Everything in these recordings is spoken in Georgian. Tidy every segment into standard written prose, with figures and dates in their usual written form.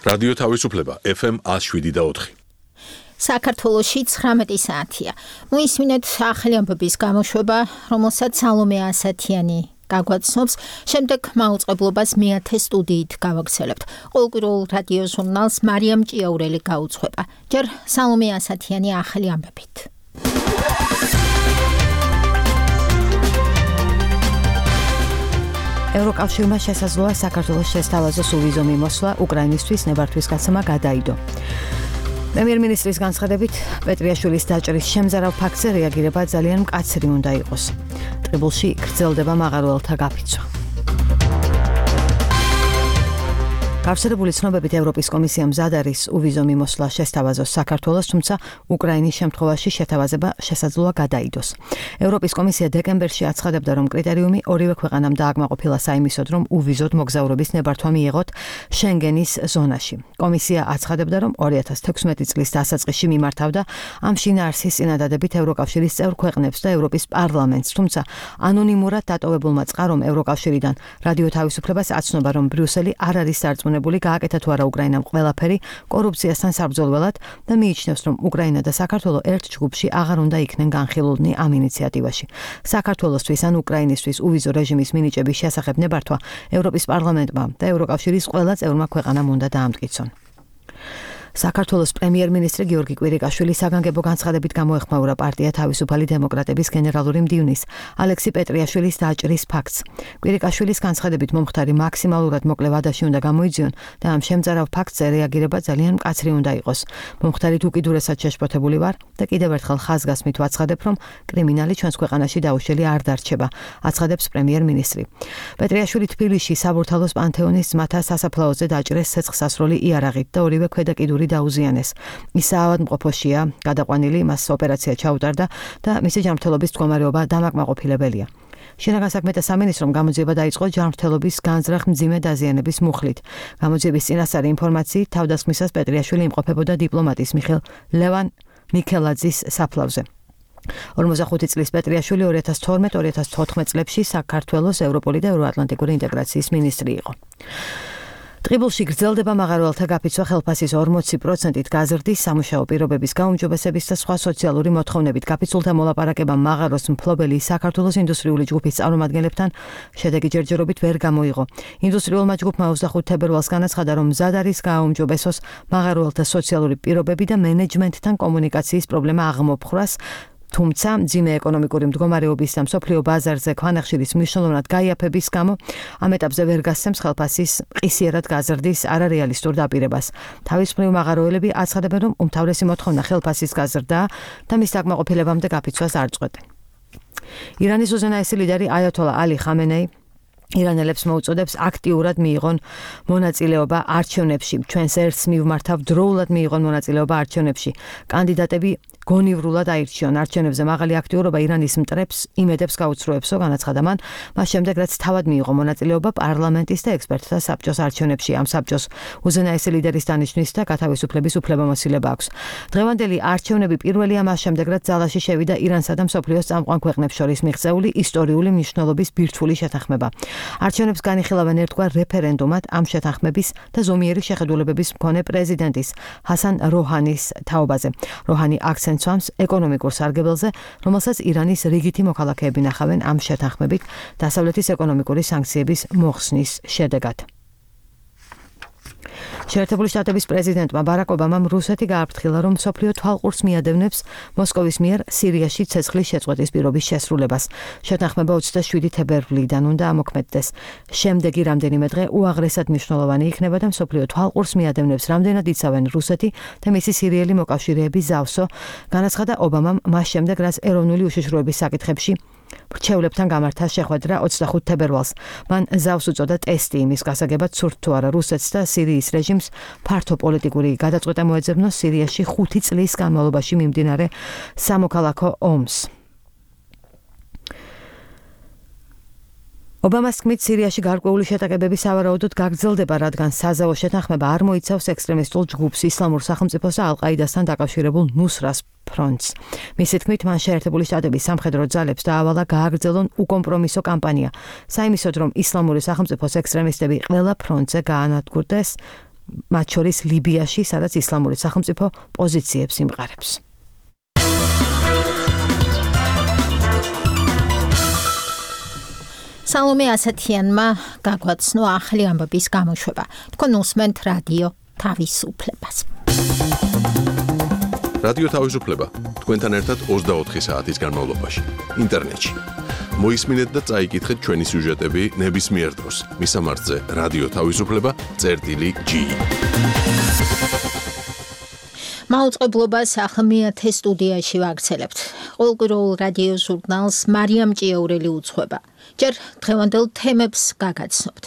რადიო თავისუფლება FM 107.4. საქართველოში 19 საათია. მოისმინეთ ახალი ამბების გამოშვება, რომელსაც სალომე ასათიანი გაგვაცნობს, შემდეგ მაუწყებლობას მეათე სტუდიით გავაგრძელებთ. ყოველკვირეულ რადიო ჟურნალს მარიამ ჭიაურელი გაუძღვება. ჯერ სალომე ასათიანი ახალი ამბებით. ევროკავშირმა შესაძლოა საქართველოს შესთავაზოს უვიზო მიმოსვლა უკრაინისთვის ნებართვის გაცემა გადაიდო. პრემიერ-მინისტრის განცხადებით, პეტრიაშვილის დაჭრის შემზარავ ფაქტზე რეაგირება ძალიან მკაცრი უნდა იყოს. ტყიბულში გრძელდება მაღაროელთა გაფიცვა. გავრცელებული ცნობებით ევროპის კომისია მზად არის უვიზო მიმოსვლა შესთავაზოს საქართველოს, თუმცა უკრაინის შემთხვევაში შეთავაზება შესაძლოა გადაიდოს. ევროპის კომისია დეკემბერში აცხადებდა, რომ კრიტერიუმი ორივე ქვეყანამ დააკმაყოფილა საიმისოდ, რომ უვიზოდ მოგზაურობის ნებართვა მიიღოთ შენგენის ზონაში. კომისია აცხადებდა, რომ 2016 წლის დასაწყისში მიმართავდა ამ შინაარსის წინადადებით ევროკავშირის წევრ ქვეყნებს და ევროპის პარლამენტს, თუმცა ანონიმურად დატოვებულმა წყარომ ევროკავშირიდან რადიო თავისუფლებას აცნობა, რომ ბრიუსელი არ არის დარწმუნებული გააკეთა თუ არა უკრაინამ ყველაფერი კორუფციასთან საბრძოლველად და მიიჩნევს, რომ უკრაინა და საქართველო ერთ ჯგუფში აღარ უნდა იქნენ განხილულნი ამ ინიციატივაში. საქართველოსთვის ან უკრაინისთვის უვიზო რეჟიმის მინიჭების შესახებ ნებართვა ევროპის პარლამენტმა და ევროკავშირის ყველა წევრმა ქვეყანამ უნდა დაამტკიცონ. საქართველოს პრემიერ-მინისტრი გიორგი კვირიკაშვილი საგანგებო განცხადებით გამოეხმაურა პარტია თავისუფალი დემოკრატების გენერალური მდივნის ალექსი პეტრიაშვილის დაჭრის ფაქტს. კვირიკაშვილის განცხადებით მომხდარი მაქსიმალურად მოკლე ვადაში უნდა გამოიძიონ და ამ შემზარავ ფაქტზე რეაგირება ძალიან მკაცრი უნდა იყოს. მომხდარით უკიდურესად შეშფოთებული ვარ და კიდევ ერთხელ ხაზგასმით ვაცხადებ, რომ კრიმინალი ჩვენს ქვეყანაში დაუშელი არ დარჩება, აცხადებს პრემიერ-მინისტრი. პეტრიაშვილი თბილისში საბურთალოს პანთეონის ძმათა სასაფლაოზე დაჭრეს ცეცხლსასროლი იარაღით და ორივე ქვედა კიდური დაუზიანეს. ის საავადმყოფოშია გადაყვანილი, მას ოპერაცია ჩაუტარდა და მისი ჯანმრთელობის მდგომარეობა დამაკმაყოფილებელია. შინაგან საქმეთა სამინისტრომ გამოძიება დაიწყო ჯანმრთელობის განზრახ მძიმე დაზიანების მუხლით. გამოძიების წინასწარი ინფორმაციით თავდასხმისას პეტრიაშვილი იმყოფებოდა დიპლომატის ლევან მიქელაძის საფლავზე. 45 წლის პეტრიაშვილი 2012-2014 წლებში საქართველოს ევროპული და ევროატლანტიკური ინტეგრაციის მინისტრი იყო. ტყიბულში გრძელდება მაღაროელთა გაფიცვა ხელფასის 40%-ით გაზრდის სამუშაო პირობების გაუმჯობესების და სხვა სოციალური მოთხოვნებით. გაფიცულთა მოლაპარაკებამ მაღაროს მფლობელი საქართველოს ინდუსტრიული ჯგუფის წარმომადგენლებთან შედეგი ჯერჯერობით ვერ გამოიღო. ინდუსტრიულმა ჯგუფმა 25 თებერვალს განაცხადა, რომ მზად არის გააუმჯობესოს მაღაროელთა სოციალური პირობები და მენეჯმენტთან კომუნიკაციის პრობლემა აღმოფხვრას. თუმცა მძიმე ეკონომიკური მდგომარეობის და მსოფლიო ბაზარზე ქვანახშირის მნიშვნელოვნად გაიაფების გამო ამ ეტაპზე ვერ გასცემს ხელფასის ყისიერად გაზრდის არარეალისტურ დაპირებას. თავის მხრივ მაღაროელები აცხადებენ, რომ უმთავრესი მოთხოვნა ხელფასის გაზრდაა და მის დაკმაყოფილებამდე გაფიცვას არ წყვეტენ. ირანის უზენაესი ლიდერი აიათოლა ალი ხამენეი ირანელებს მოუწოდებს აქტიურად მიიღონ მონაწილეობა არჩევნებში. ჩვენს ერთს მივმართავ დროულად მიიღონ მონაწილეობა არჩევნებში. კანდიდატები გონივრულად აირჩიონ. არჩევნებზე მაღალი აქტიურობა ირანის მტრებს იმედებს გაუცრუებსო, განაცხადა მან, მას შემდეგ რაც თავად მიიღო მონაწილეობა პარლამენტის და ექსპერტთა საბჭოს არჩევნებში. ამ საბჭოს უზენაესი ლიდერის დანიშვნის და გათავისუფლების უფლებამოსილება აქვს. დღევანდელი არჩევნები პირველია მას შემდეგ, რაც ძალაში შევიდა ირანსა და მსოფლიოს წამყვან ქვეყნებს შორის მიღწეული ისტორიული მნიშვნელობის ბირთვული შეთანხმება. არჩევნებს განიხილავენ ერთგვარ რეფერენდუმად ამ შეთანხმების და ზომიერი შეხედულებების მქონე პრეზიდენტის ჰასან როჰანის თაობაზე. როჰანი აქცენტს უსვამს ეკონომიკურ სარგებელზე, რომელსაც ირანის რიგითი მოქალაქეები ნახავენ ამ შეთანხმებით დასავლეთის ეკონომიკური სანქციების მოხსნის შედეგად. შეერთებული შტატების პრეზიდენტმა ბარაკ ობამამ რუსეთი გააფრთხილა, რომ მსოფლიო თვალყურს მიადევნებს მოსკოვის მიერ სირიაში ცეცხლის შეწყვეტის პირობის შესრულებას. შეთანხმება 27 თებერვლიდან უნდა ამოქმედდეს. შემდეგი რამდენიმე დღე უაღრესად მნიშვნელოვანი იქნება და მსოფლიო თვალყურს მიადევნებს, რამდენად იცავენ რუსეთი და მისი სირიელი მოკავშირეები ზავსო, განაცხადა ობამამ მას შემდეგ, რაც ეროვნული უშიშროების საკითხებში მრჩევლებთან გამართა შეხვედრა 25 თებერვალს. მან ზავს უწოდა ტესტი იმის გასაგებად, სურთ თუ არა რუსეთს და სირიის რეჟიმს ფართო პოლიტიკური გადაწყვეტა მოეძებნოს სირიაში 5 წლის განმავლობაში მიმდინარე სამოქალაქო ომს. ობამას თქმით, სირიაში გარკვეული შეტაკებები სავარაუდოდ გაგრძელდება, რადგან საზავო შეთანხმება არ მოიცავს ექსტრემისტულ ჯგუფს ისლამურ სახელმწიფოს და ალ-ყაიდასთან დაკავშირებულ ნუსრას ფრონტს. მისი თქმით, მან შეერთებული შტატების სამხედრო ძალებს დაავალა გააგრძელონ უკომპრომისო კამპანია. საიმისოდ, რომ ისლამური სახელმწიფოს ექსტრემისტები ყველა ფრონტზე გაანადგურდეს, მათ შორის ლიბიაში, სადაც ისლამური სახელმწიფო პოზიციებს იმყარებს. სალომე ასათიანმა გაგვაცნო ახალი ამბების გამოშვება. თქვენ უსმენთ რადიო თავისუფლებას. რადიო თავისუფლება თქვენთან ერთად 24 საათის განმავლობაში ინტერნეტში. მოისმინეთ და წაიკითხეთ ჩვენი სიუჟეტები ნებისმიერ დროს. მისამართზე რადიო თავისუფლება.gi. მაუწყებლობას ახლა მეათე სტუდიაში ვაგრძელებთ. ყოველკვირეულ რადიო ჟურნალს მარიამ ჭიაურელი უძღვება. ჯერ დღევანდელ თემებს გაგაცნობთ.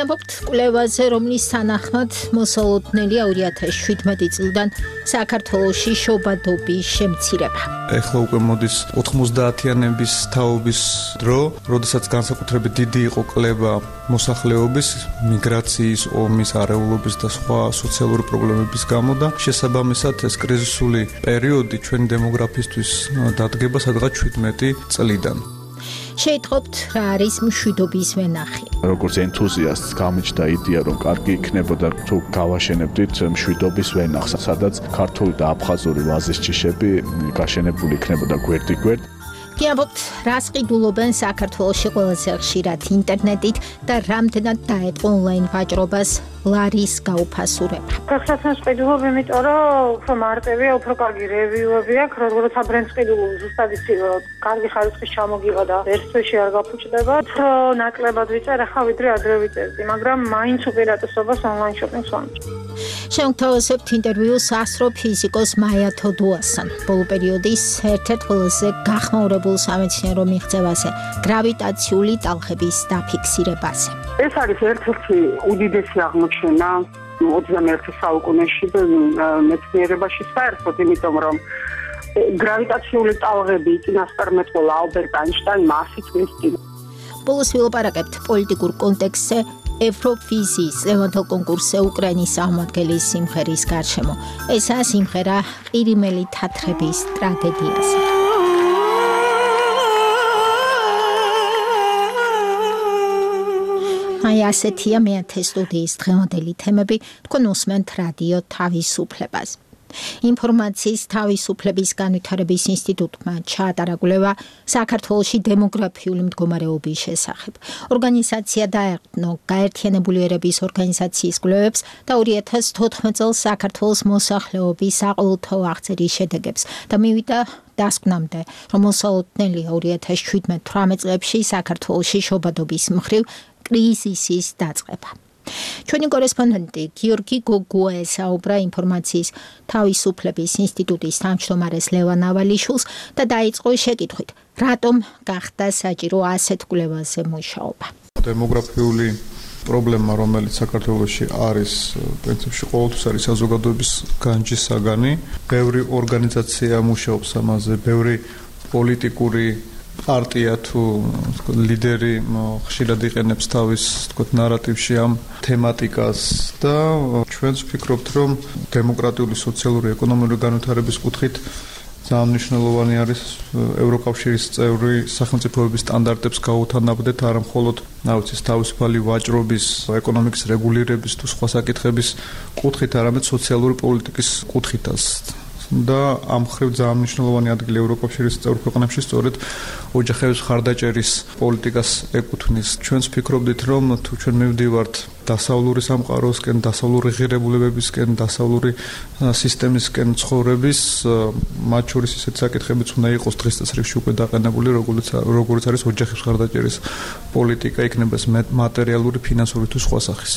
ამბობთ კვლევაზე, რომლის თანახმად მოსალოდნელი 2017 წლიდან საქართველოში შობადობის შემცირება. ეხლა უკვე მოდის 90-იანების თაობის დრო, როდესაც განსაკუთრებით დიდი იყო კლება მოსახლეობის, მიგრაციის, ომის, არეულობის და სხვა სოციალური პრობლემების გამო და შესაბამისად ეს კრიზისული პერიოდი ჩვენი დემოგრაფისთვის დადგება სადღაც 17 წლიდან. შეიტყობთ რა არის მშვიდობის ვენახი. როგორც ენთუზიასტს გამიჩნდა იდეა, რომ კარგი იქნებოდა თუ გავაშენებდით მშვიდობის ვენახს, სადაც ქართული და აფხაზური ვაზის ჯიშები გაშენებული იქნებოდა გვერდ-გვერდ. ამბობთ, რას ყიდულობენ საქართველოში ყველაზე ხშირად ინტერნეტით და რამდენად დაეწყო ონლაინ ვაჭრობას ლარის გაუფასურება. გახსნას ყიდულობ, იმიტომ რომ უფრო მარტივია, უფრო კარგი რევიუები აქვს, როცა ბრენდს ყიდულობ, ზუსტად იცი, რომ კარგი ხარისხის ჩამოგიღა და ერთში არ გაფუჭდება. უფრო ნაკლებად ვიწერ, ახლა ვიდრე ადრე ვიწერდი, მაგრამ მაინც უპირატესობას ონლაინ შოპინგს ვამჭირ. შევთავაზებთ ინტერვიუს ასრო ფიზიკოს მაია თოდუასთან. ბოლო პერიოდის ერთ-ერთ ყველაზე გახმაურებულ სამეცნიერო მიღწევაზე, გრავიტაციული ტალღების დაფიქსირებაზე. ეს არის ერთ-ერთი უდიდესი აღმოჩენა 21 საუკუნეში მეცნიერებაში საერთოდ, იმიტომ რომ გრავიტაციული ტალღები წინასწარმეტყველა ალბერტ აინშტაინმა 100 წლის წინ. ბოლოს ვილაპარაკებთ პოლიტიკურ კონტექსტზე ევროვიზიის ლევანთელ კონკურსზე უკრაინის აღმადგენლის სიმღერის გარშემო. ესაა სიმღერა ყირიმელი თათრების ტრაგედიაზე. აი ასეთია მეათე სტუდიის დღევანდელი თემები. თქვენ უსმენთ რადიო თავისუფლებას. ინფორმაციის თავისუფლების განვითარების ინსტიტუტმა ჩაატარა კვლევა საქართველოში დემოგრაფიული მდგომარეობის შესახებ. ორგანიზაცია დაეყრდნო გაერთიანებული ერების ორგანიზაციის კვლევებს და 2014 წელს საქართველოს მოსახლეობის საყოველთაო აღწერის შედეგებს და მივიდა დასკვნამდე, რომ მოსალოდნელი 2017-18 წლებში საქართველოში შობადობის მხრივ კრიზისის დაწყება. ჩვენი კორესპონდენტი გიორგი გოგუა ესაუბრა ინფორმაციის თავისუფლების ინსტიტუტის თავმჯდომარეს ლევან ავალიშვილს და დაიწყო შეკითხვით, რატომ გახდა საჭირო ასეთ კვლევაზე მუშაობა. დემოგრაფიული პრობლემა, რომელიც საქართველოში არის, პრინციპში ყოველთვის არის საზოგადოების განჯის საგანი. ბევრი ორგანიზაცია მუშაობს ამაზე, ბევრი პოლიტიკური პარტია თუ ლიდერი ხშირად იყენებს თავის ნარატივში ამ თემატიკას და ჩვენც ვფიქრობთ, რომ დემოკრატიული, სოციალური, ეკონომიკური განვითარების კუთხით ძალიან მნიშვნელოვანი არის ევროკავშირის წევრი სახელმწიფოების სტანდარტებს გაუთანაბრდეთ, არა მხოლოდ თავისუფალი ვაჭრობის, ეკონომიკის რეგულირების თუ სხვა საკითხების კუთხით, არამედ სოციალური პოლიტიკის კუთხითაც. და ამ მხრივ ძალიან მნიშვნელოვანი ადგილი ევროკავშირის წევრ ქვეყნებში სწორედ ოჯახების ხარდაჭერის პოლიტიკას ეკუთვნის. ჩვენც ვფიქრობდით, რომ თუ ჩვენ მივდივართ დასავლური სამყაროსკენ, დასავლური ღირებულებებისკენ, დასავლური სისტემისკენ ცხოვრების, მათ შორის ისეთ საკითხებიც უნდა იყოს დღის წესრიგში უკვე დაყენებული, როგორც არის ოჯახების ხარდაჭერის პოლიტიკა, იქნება ეს მატერიალური, ფინანსური თუ სხვა სახის.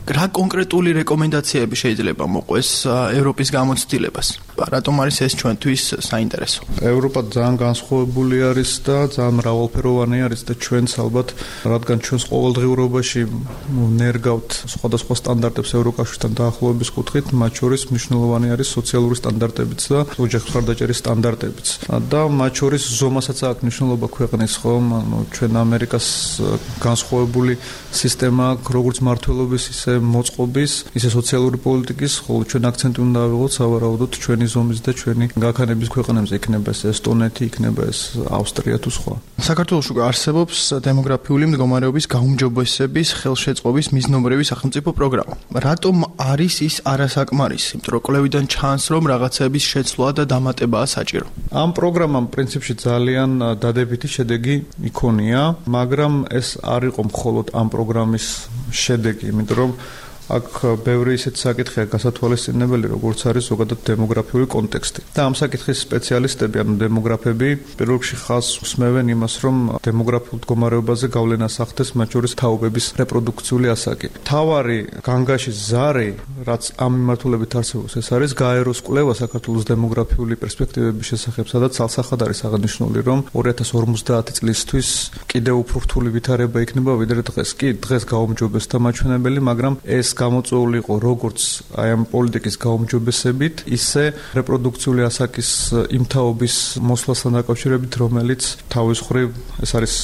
რა კონკრეტული რეკომენდაციები შეიძლება მოყვეს ევროპის გამოცდილებას? რატომ არის ეს ჩვენთვის საინტერესო? ევროპა ძალიან განსხვავებული არის და ძალიან მრავალფეროვანი არის და ჩვენც ალბათ, რადგან ჩვენს ყოველდღიურობაში ნერგავთ სხვადასხვა სტანდარტებს ევროკავშირთან დაახლოების კუთხით, მათ შორის მნიშვნელოვანი არის სოციალური სტანდარტებიც და ოჯახის მხარდაჭერის სტანდარტებიც. და მათ შორის ზომასაც აქვს მნიშვნელობა ქვეყნის, ხომ? ჩვენ ამერიკას განსხვავებული სისტემა აქვს, როგორც მართლობის, ისე მოწყობის, ისე სოციალური პოლიტიკის, ხოლო ჩვენ აქცენტი უნდა ავიღოთ სავარაუდოდ ჩვენი ზომის და ჩვენი გაქანების ქვეყნებზე, იქნება ეს ესტონეთი, იქნება ეს ავსტრია თუ სხვა. საქართველოს უკვე არსებობს დემოგრაფიული მდგომარეობის გაუმჯობესების ხელშეწყობის მიზნობრივი სახელმწიფო პროგრამა. რატომ არის ის არასაკმარისი? იმიტომ რომ კვლევიდან ჩანს, რომ რაღაცების შეცვლა და დამატებაა საჭირო. ამ პროგრამამ პრინციპში ძალიან დადებითი შედეგი იქონია, მაგრამ ეს არ იყო მხოლოდ ამ პროგრამის შედეგი, იმიტომ რომ აქ ბევრი ისეთი საკითხია გასათვალისწინებელი, როგორც არის ზოგადად დემოგრაფიული კონტექსტი. და ამ საკითხის სპეციალისტები, ანუ დემოგრაფები, პირველ რიგში ხაზს უსმევენ იმას, რომ დემოგრაფიულ მდგომარეობაზე გავლენას ახდენს მათ შორის თაობების რეპროდუქციული ასაკი. თავარი განგაშის ზარი, რაც ამ მიმართულებით არსებობს, ეს არის გაეროს კვლევა საქართველოს დემოგრაფიული პერსპექტივების შესახებ, სადაც ცალსახად არის აღნიშნული, რომ 2050 წლისთვის კიდევ უფრო რთული ვითარება იქნება ვიდრე დღეს. კი, დღეს გაუმჯობესდა მაჩვენებელი, მაგრამ ეს გამოწვეული იყო როგორც აი ამ პოლიტიკის გაუმჯობესებით, ისე რეპროდუქციული ასაკის იმთაობის მოსვლასთან დაკავშირებით, რომელიც თავის მხრივ ეს არის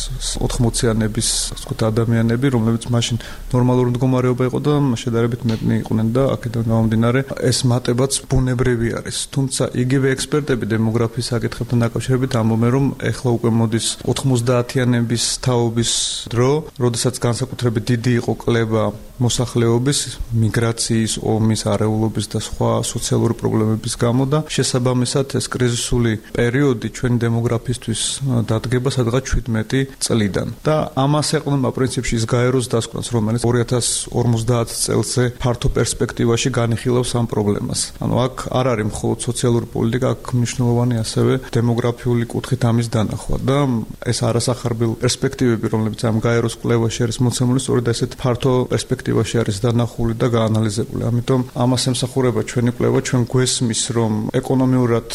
80-იანების, ასე ვთქვათ, ადამიანები, რომლებიც მაშინ ნორმალური მდგომარეობა იყო და შედარებით მეტნი იყვნენ და აქედან გამომდინარე ეს მატებაც ბუნებრივი არის. თუმცა იგივე ექსპერტები დემოგრაფიის საკითხებთან დაკავშირებით ამბობენ, რომ ეხლა უკვე მოდის 90-იანების თაობის დრო, როდესაც განსაკუთრებით დიდი იყო კლება მოსახლეობის მიგრაციის, ომის, არეულობის და სხვა სოციალური პრობლემების გამო და შესაბამისად ეს კრიზისული პერიოდი ჩვენი დემოგრაფისთვის დადგება სადღაც 17 წლიდან. და ამას ეყრდნობა პრინციპში ის გაეროს დასკვნას, რომელიც 2050 წელზე ფართო პერსპექტივაში განიხილავს ამ პრობლემას. ანუ აქ არ არის მხოლოდ სოციალური პოლიტიკა, აქ მნიშვნელოვანი ასევე დემოგრაფიული კუთხით ამის დანახვა და ეს არასახარბიელ პერსპექტივები, რომლებიც ამ გაეროს კვლევაში არის მოცემული, სწორედ ესეთ ფართო პერსპექტივაში არის დანახული და გაანალიზებული. ამიტომ ამას ემსახურება ჩვენი კვლევა, ჩვენ გვესმის, რომ ეკონომიურად,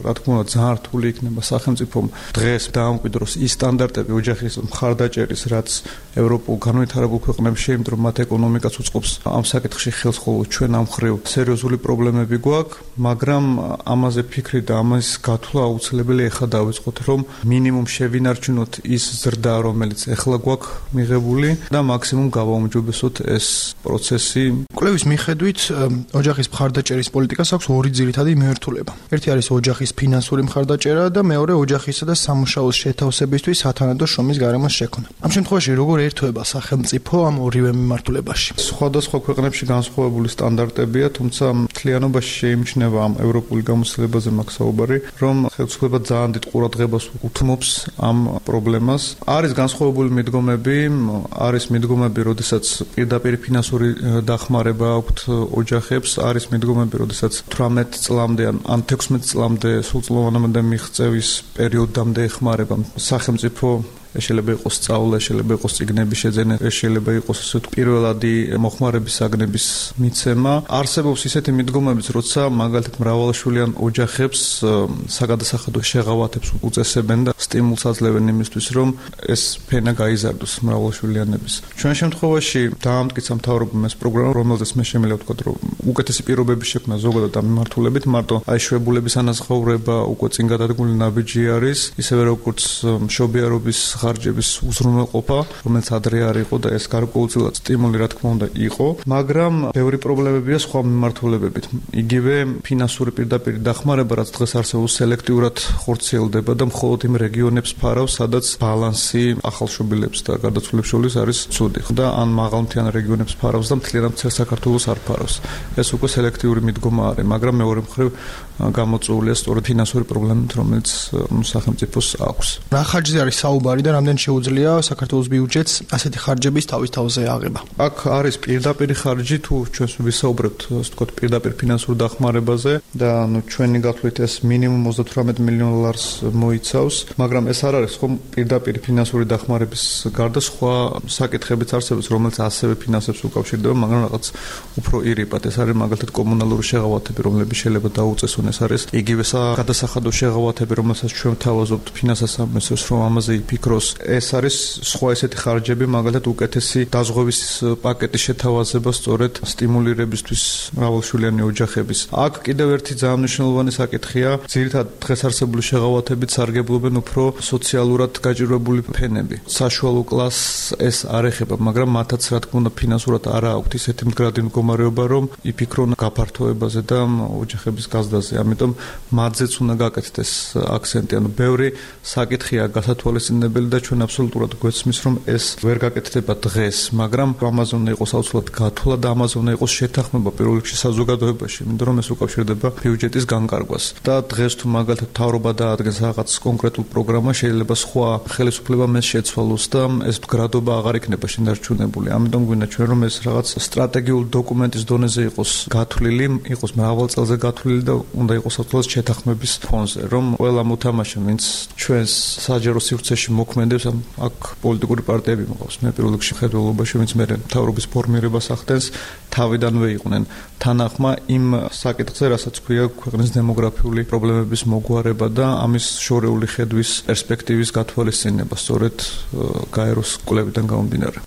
რა თქმა უნდა, ძალიან რთული იქნება სახელმწიფომ დღეს დაამკვიდროს ის სტანდარტები ოჯახის მხარდაჭერის, რაც ევროპულ განვითარებულ ქვეყნებში, იმიტომ რომ მათ ეკონომიკაც უწყობს ამ საკითხში ხელს, ხოლო ჩვენ ამ ხრივ სერიოზული პრობლემები გვაქვს, მაგრამ ამაზე ფიქრი და ამის გათვლა აუცილებელი ეხლა დავიწყოთ, რომ მინიმუმ შევინარჩუნოთ ის ზრდა, რომელიც ეხლა გვაქვს მიღებული და მაქსიმუმ გავაუმჯობესოთ ეს პროცესი. კვლევის მიხედვით ოჯახის მხარდაჭერის პოლიტიკას აქვს ორი ძირითადი მიმართულება. ერთი არის ოჯახის ფინანსური მხარდაჭერა და მეორე ოჯახისა და სამუშაოს შეთავსებისთვის სათანადო შრომის გარემოს შექმნა. ამ შემთხვევაში როგორ ერთვება სახელმწიფო ამ ორივე მიმართულებაში? სხვადასხვა ქვეყნებში განსხვავებული სტანდარტებია, თუმცა მთლიანობაში შეიმჩნევა ამ ევროპული გამოცდილებაზე მაქვს საუბარი, რომ ხელისუფლება ძალიან დიდ ყურადღებას უთმობს ამ პრობლემას. არის განსხვავებული მიდგომები, არის მიდგომები, როდესაც პირდაპირ ფინანსური დახმარება აქვთ ოჯახებს, არის მიდგომები, როდესაც 18 წლამდე ან 16 წლამდე სრულწლოვანამდე მიღწევის პერიოდამდე ეხმარება სახელმწიფო. შეიძლება იყოს სწავლა, შეიძლება იყოს წიგნების შეძენა, შეიძლება იყოს ასე ვთქვი პირველადი მოხმარების საგნების მიცემა. არსებობს ისეთი მიდგომებიც, როცა მაგალითად მრავალშვილიან ოჯახებს საგადასახადო შეღავათებს უწესებენ და სტიმულს აძლევენ იმისთვის, რომ ეს ფენა გაიზარდოს მრავალშვილიანების. ჩვენ შემთხვევაში დაამტკიცა მთავრობამ ეს პროგრამა, რომელზეც მე შემიძლია ვთქვა, რომ უკეთესი პირობების შექმნა ზოგადად ამ მიმართულებით, მარტო აი შვებულების ანაზღაურება უკვე წინ გადადგმული ნაბიჯი არის, ისევე როგორც მშობიარობის ხარჯების უზრუნველყოფა, რომელიც ადრე არ იყო და ეს გარკვეულწილად სტიმული რა თქმა უნდა იყო, მაგრამ ბევრი პრობლემებია სხვა მიმართულებებით. იგივე ფინანსური პირდაპირ დახმარება, რაც დღეს არსებობს, სელექტიურად ხორციელდება და მხოლოდ იმ რეგიონებს ფარავს, სადაც ბალანსი ახალშობილებს და გარდაცვლილებს შორის არის ცუდი. და ან მაღალმთიან რეგიონებს ფარავს და მთლიანად მთელ საქართველოს არ ფარავს. ეს უკვე სელექტიური მიდგომა არის, მაგრამ მეორე მხრივ გამოწვეულია სწორედ ფინანსური პრობლემით, რომელიც სახელმწიფოს აქვს. რა ხარჯზე არის საუბარი და და რამდენ შეუძლია საქართველოს ბიუჯეტს ასეთი ხარჯების თავის თავზე აღება. აქ არის პირდაპირ ხარჯი თუ ჩვენს ვისაუბრებთ, ასე ვთქვათ, პირდაპირ ფინანსურ დახმარებაზე და ჩვენი გათვლით ეს მინიმუმ 38 მილიონ დოლარს მოიცავს, მაგრამ ეს არ არის ხომ პირდაპირ ფინანსური დახმარების გარდა სხვა საკითხებიც არსებობს, რომელიც ასევე ფინანსებს უკავშირდება, მაგრამ რაღაც უფრო ირიბად. ეს არის მაგალითად კომუნალური შეღავათები, რომლებიც შეიძლება დაუწესონ, ეს არის იგივე გადასახადო შეღავათები, რომელსაც ჩვენ თავაზობთ ფინანსთა სამინისტროს, რომ ამაზე იფიქროს. ეს არის სხვა ესეთი ხარჯები, მაგალითად უკეთესი დაზღვევის პაკეტის შეთავაზება სწორედ სტიმულირებისთვის მრავალშვილიანი ოჯახების. აქ კიდევ ერთი ძალიან მნიშვნელოვანი საკითხია, ძირითადად დღეს არსებული შეღავათებით სარგებლობენ უფრო სოციალურად გაჭირვებული ფენები. საშუალო კლასს ეს არ ეხება, მაგრამ მათაც რა თქმა უნდა ფინანსურად არ აქვთ ისეთი მდგრადი მდგომარეობა, რომ იფიქრონ გაფართოებაზე და ოჯახების გაზრდაზე. ამიტომ მათზეც უნდა გაკეთდეს აქცენტი. ანუ ბევრი საკითხია გასათვალისწინებელი და ჩვენ აბსოლუტურად გვესმის, რომ ეს ვერ გაკეთდება დღეს, მაგრამ ამაზე უნდა იყოს აუცილებლად გათვლა და ამაზე უნდა იყოს შეთანხმება პირველ რიგში საზოგადოებაში, იმიტომ რომ ეს უკავშირდება ბიუჯეტის განკარგვას. და დღეს თუ მაგალითად მთავრობა დაადგენს რაღაც კონკრეტულ პროგრამას, შეიძლება სხვა ხელისუფლებამ ეს შეცვალოს და ეს მდგრადობა აღარ იქნება შენარჩუნებული. ამიტომ გვინდა ჩვენ რომ ეს რაღაც სტრატეგიული დოკუმენტის დონეზე იყოს გათვლილი, იყოს მრავალ წელზე გათვლილი და უნდა იყოს აუცილებლად შეთანხმების ფონზე, რომ ყველა მოთამაშე, ვინც ჩვენს საჯარო სივრცეში მოქმედებს, აქ პოლიტიკური პარტიები მოყავს. მე პირველ რიგში მხედველობაში, ვინც მე მთავრობის ფორმირებას ახდენს, თავიდანვე იყვნენ თანახმა იმ საკითხზე, რასაც ქვია ქვეყნის დემოგრაფიული პრობლემების მოგვარება და ამის შორეული ხედვის პერსპექტივის გათვალისწინება, სწორედ გაეროს კვლევიდან გამომდინარე.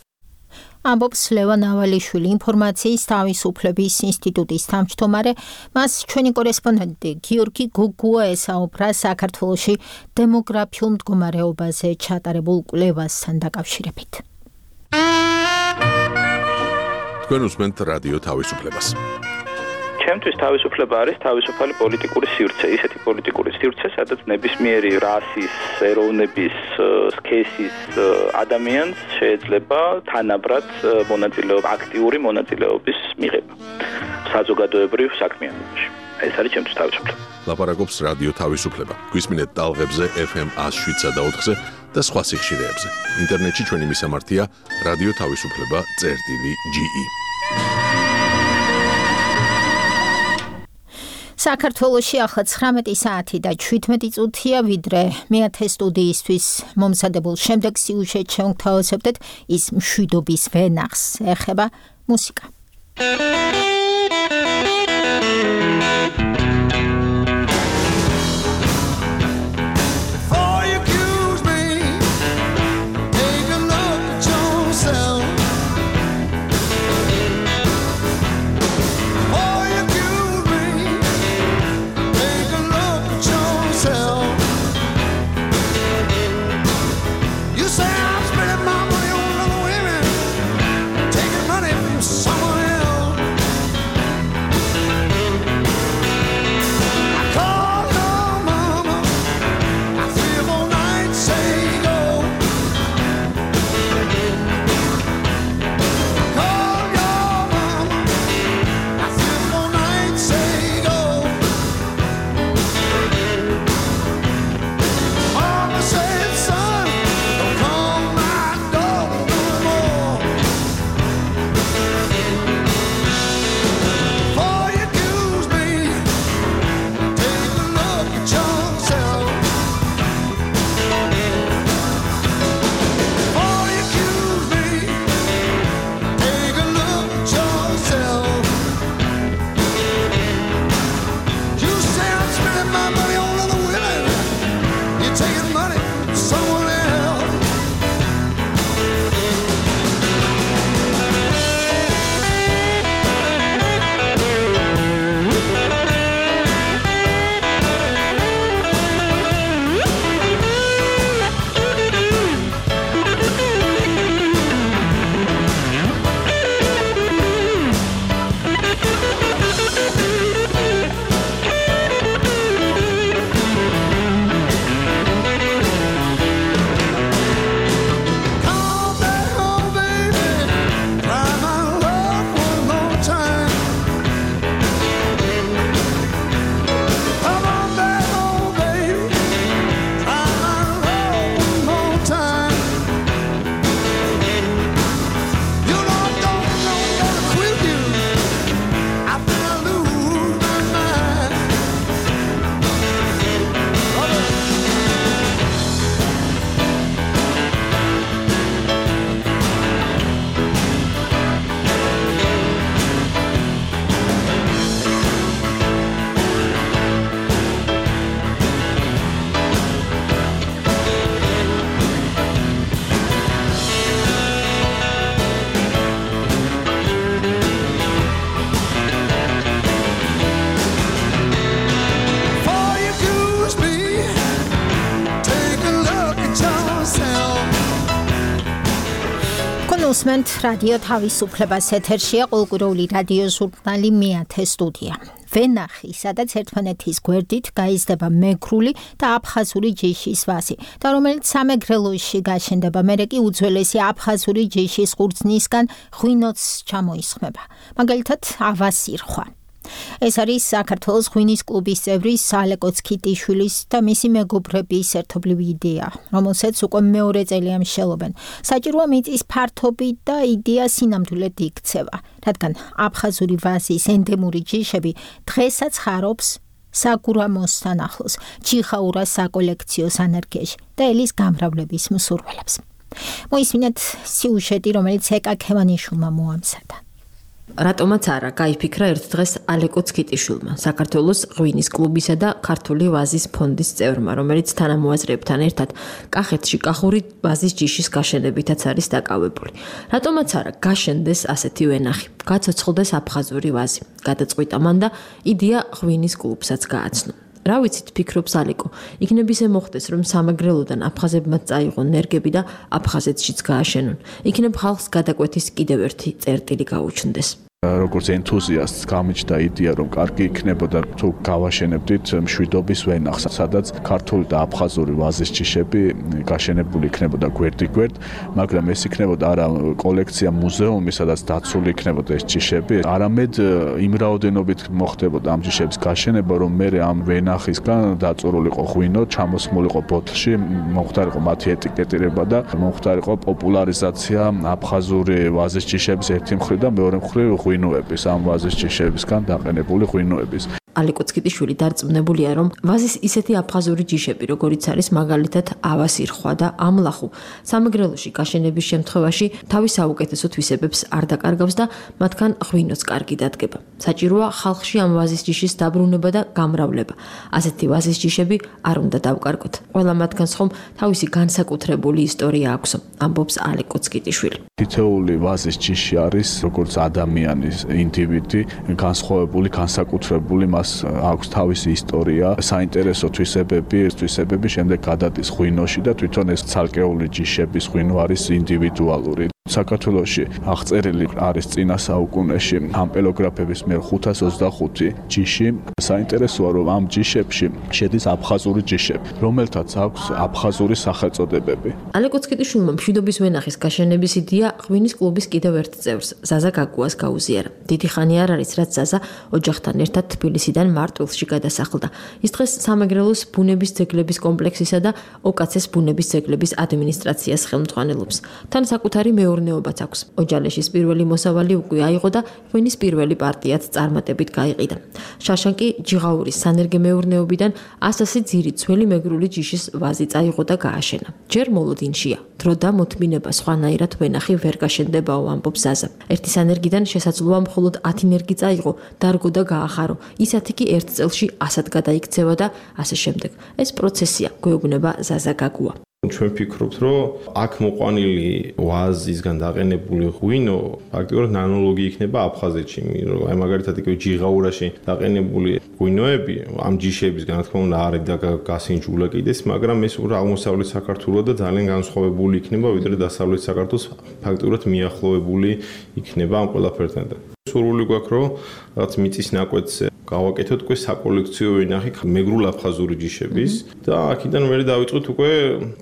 ამბობს ლევან ავალიშვილი, ინფორმაციის თავისუფლების ინსტიტუტის თავმჯდომარე. მას ჩვენი კორესპონდენტი გიორგი გოგუა ესაუბრა საქართველოში დემოგრაფიულ მდგომარეობაზე ჩატარებულ კვლევასთან დაკავშირებით. თქვენ უსმენთ რადიო თავისუფლებას. ჩემთვის თავისუფლება არის თავისუფალი პოლიტიკური სივრცე, ისეთი პოლიტიკური სივრცე, სადაც ნებისმიერი რასის, ეროვნების, სქესის ადამიანს შეიძლება თანაბრად აქტიური მონაწილეობის მიღება საზოგადოებრივ საქმიანობაში. ეს არის ჩემთვის თავისუფლება. ლაპარაკობს რადიო თავისუფლება. გვისმინეთ ტალღებზე FM 107 და 4-ზე და სხვა სიხშირეებზე. ინტერნეტში ჩვენი მისამართია რადიო თავისუფლება.ge. საქართველოში ახლა 19 საათი და 17 წუთია, ვიდრე მეათე სტუდიისთვის მომზადებულ შემდეგ სიუჟეტს შევთავაზებთ ის მშვიდობის ვენახს. ეხება მუსიკა. გისმენთ რადიო თავისუფლებას ეთერშია კულტურული რადიო ჟურნალი მეათე სტუდია. ვენახი, სადაც ერთმანეთის გვერდით გაიზრდება მეგრული და აფხაზური ჯიშის ვაზი და რომელიც სამეგრელოში გაშენდება, მერე კი უძველესი აფხაზური ჯიშის ყურძნისგან ღვინოც ჩამოისხმება. მაგალითად, ავასირხვა. ეს არის საქართველოს ღვინის კლუბის წევრი ალეკო ცქიტიშვილის და მისი მეგობრების ერთობლივი იდეა, რომელსაც უკვე მეორე წელია მსჯელობენ. საჭიროა მიწის ფართობი და იდეა სინამდვილედ იქცევა, რადგან აფხაზური ვაზის ენდემური ჯიშები დღესაც ხარობს საგურამოსთან ახლოს, ჩიხაურას საკოლექციო სანერგეში და ელის გამრავლების მსურველებს. მოისმინეთ სიუჟეტი, რომელიც ეკა ქევანიშვილმა მოამზადა. რატომაც არა გაიფიქრა ერთ დღეს ალეკო ცქიტიშვილმა, საქართველოს ღვინის კლუბისა და ქართული ვაზის ფონდის წევრმა, რომელიც თანამოაზრეებთან ერთად კახეთში კახური ვაზის ჯიშის გაშენებითაც არის დაკავებული. რატომაც არა გაშენდეს ასეთი ვენახი, გაცოცხლდეს აფხაზური ვაზი, გადაწყვიტა მან და იდეა ღვინის კლუბსაც გააცნო. რა ვიცით, ფიქრობს ალეკო, იქნებ ისე მოხდეს, რომ სამეგრელოდან აფხაზებმა წაიღონ ნერგები და აფხაზეთშიც გააშენონ. იქნებ ხალხს გადაკვეთის კიდევ ერთი წერტილი გაუჩნდეს. როგორც ენთუზიასტს გამიჩნდა იდეა, რომ კარგი იქნებოდა თუ გავაშენებდით მშვიდობის ვენახს, სადაც ქართული და აფხაზური ვაზის ჯიშები გაშენებული იქნებოდა გვერდიგვერდ, მაგრამ ეს იქნებოდა არა კოლექცია მუზეუმი, სადაც დაცული იქნებოდა ეს ჯიშები, არამედ იმ რაოდენობით მოხდებოდა ამ ჯიშების გაშენება, რომ მე ამ ვენახისგან დაწურულიყო ღვინო, ჩამოსმულიყო ბოთლში, მომხდარიყო მათი ეტიკეტირება და მომხდარიყო პოპულარიზაცია აფხაზური ვაზის ჯიშების ერთი მხრივ და მეორე მხრივ ღვინოების, ამ ვაზის ჯიშებისგან დაყენებული ღვინოების. ალეკო ცქიტიშვილი დარწმუნებულია, რომ ვაზის ისეთი აფხაზური ჯიშები, როგორიც არის მაგალითად ავასირხვა და ამლახუ, სამეგრელოში გაშენების შემთხვევაში თავის საუკეთესო თვისებებს არ დაკარგავს და მათგან ღვინოც კარგი დადგება. საჭიროა ხალხში ამ ვაზის ჯიშის დაბრუნება და გამრავლება. ასეთი ვაზის ჯიშები არ უნდა დავკარგოთ. ყველა მათგანს ხომ თავისი განსაკუთრებული ისტორია აქვს, ამბობს ალეკო ცქიტიშვილი. თითოეული ვაზის ჯიში არის როგორც ადამიანის ინდივიდი, განსხვავებული, განსაკუთრებული, აქვს თავისი ისტორია, საინტერესო თვისებები, შემდეგ გადადის ღვინოში და თვითონ ეს ცალკეული ჯიშების ღვინო არის ინდივიდუალური. საქართველოში აღწერილი არის წინა საუკუნეში ამპელოგრაფების მიერ 525 ჯიში. საინტერესოა, რომ ამ ჯიშებში შედის აფხაზური ჯიშები, რომელთაც აქვს აფხაზური სახელწოდებები. ალეკო ცქიტიშვილმა მშვიდობის ვენახის გაშენების იდეა ღვინის კლუბის კიდევ ერთ წევრს, ზაზა გაგუას გაუზიარა. დიდი ხანი არ არის, რაც ზაზა ოჯახთან ერთად თბილისიდან მარტვილში გადასახლდა. ის დღეს სამეგრელოს ბუნების ძეგლების კომპლექსისა და ოკაცეს ბუნების ძეგლების ადმინისტრაციას ხელმძღვანელობს. თან საკუთარი მეურნეობაც აქვს. ოჯალეშის პირველი მოსავალი უკვე აიღო და ღვინის პირველი პარტიაც წარმატებით გაიყიდა. შაშან კი ჯიღაურის სანერგე მეურნეობიდან 100 ძირი ძველი მეგრული ჯიშის ვაზი წაიღო და გააშენა. ჯერ მოლოდინშია. დრო და მოთმინება სხვანაირად ვენახი ვერ გაშენდებაო, ამბობს ზაზა. ერთი სანერგიდან შესაძლოა მხოლოდ 10 ნერგი წაიღო, დარგო და გაახარო. ისეთი კი ერთ წელში 100-ად გადაიქცევა და ასე შემდეგ. ეს პროცესია, გვეუბნება ზაზა გაგუა. ჩვენ ვფიქრობთ, რომ აქ მოყვანილი ვაზისგან დაყენებული ღვინო ფაქტიურად ნანოლოგი იქნება აფხაზეთში, აი მაგალითად იქ ჯიღაურაში დაყენებული ღვინოები ამ ჯიშებისგან, რა თქმა უნდა, არ და გასინჯულა კიდეს, მაგრამ ეს უფრო აღმოსავლეთ საქართველოს და ძალიან განსხვავებული იქნება, ვიდრე დასავლეთ საქართველოს ფაქტიურად მიახლოებული იქნება ამ ყველაფერთან. სურვილი გვაქვს, რომ რაღაც მიწის ნაკვეთს გავაკეთოთ უკვე საკოლექციო ვენახი მეგრულ აფხაზური ჯიშების და აქედან მე დავიწყოთ უკვე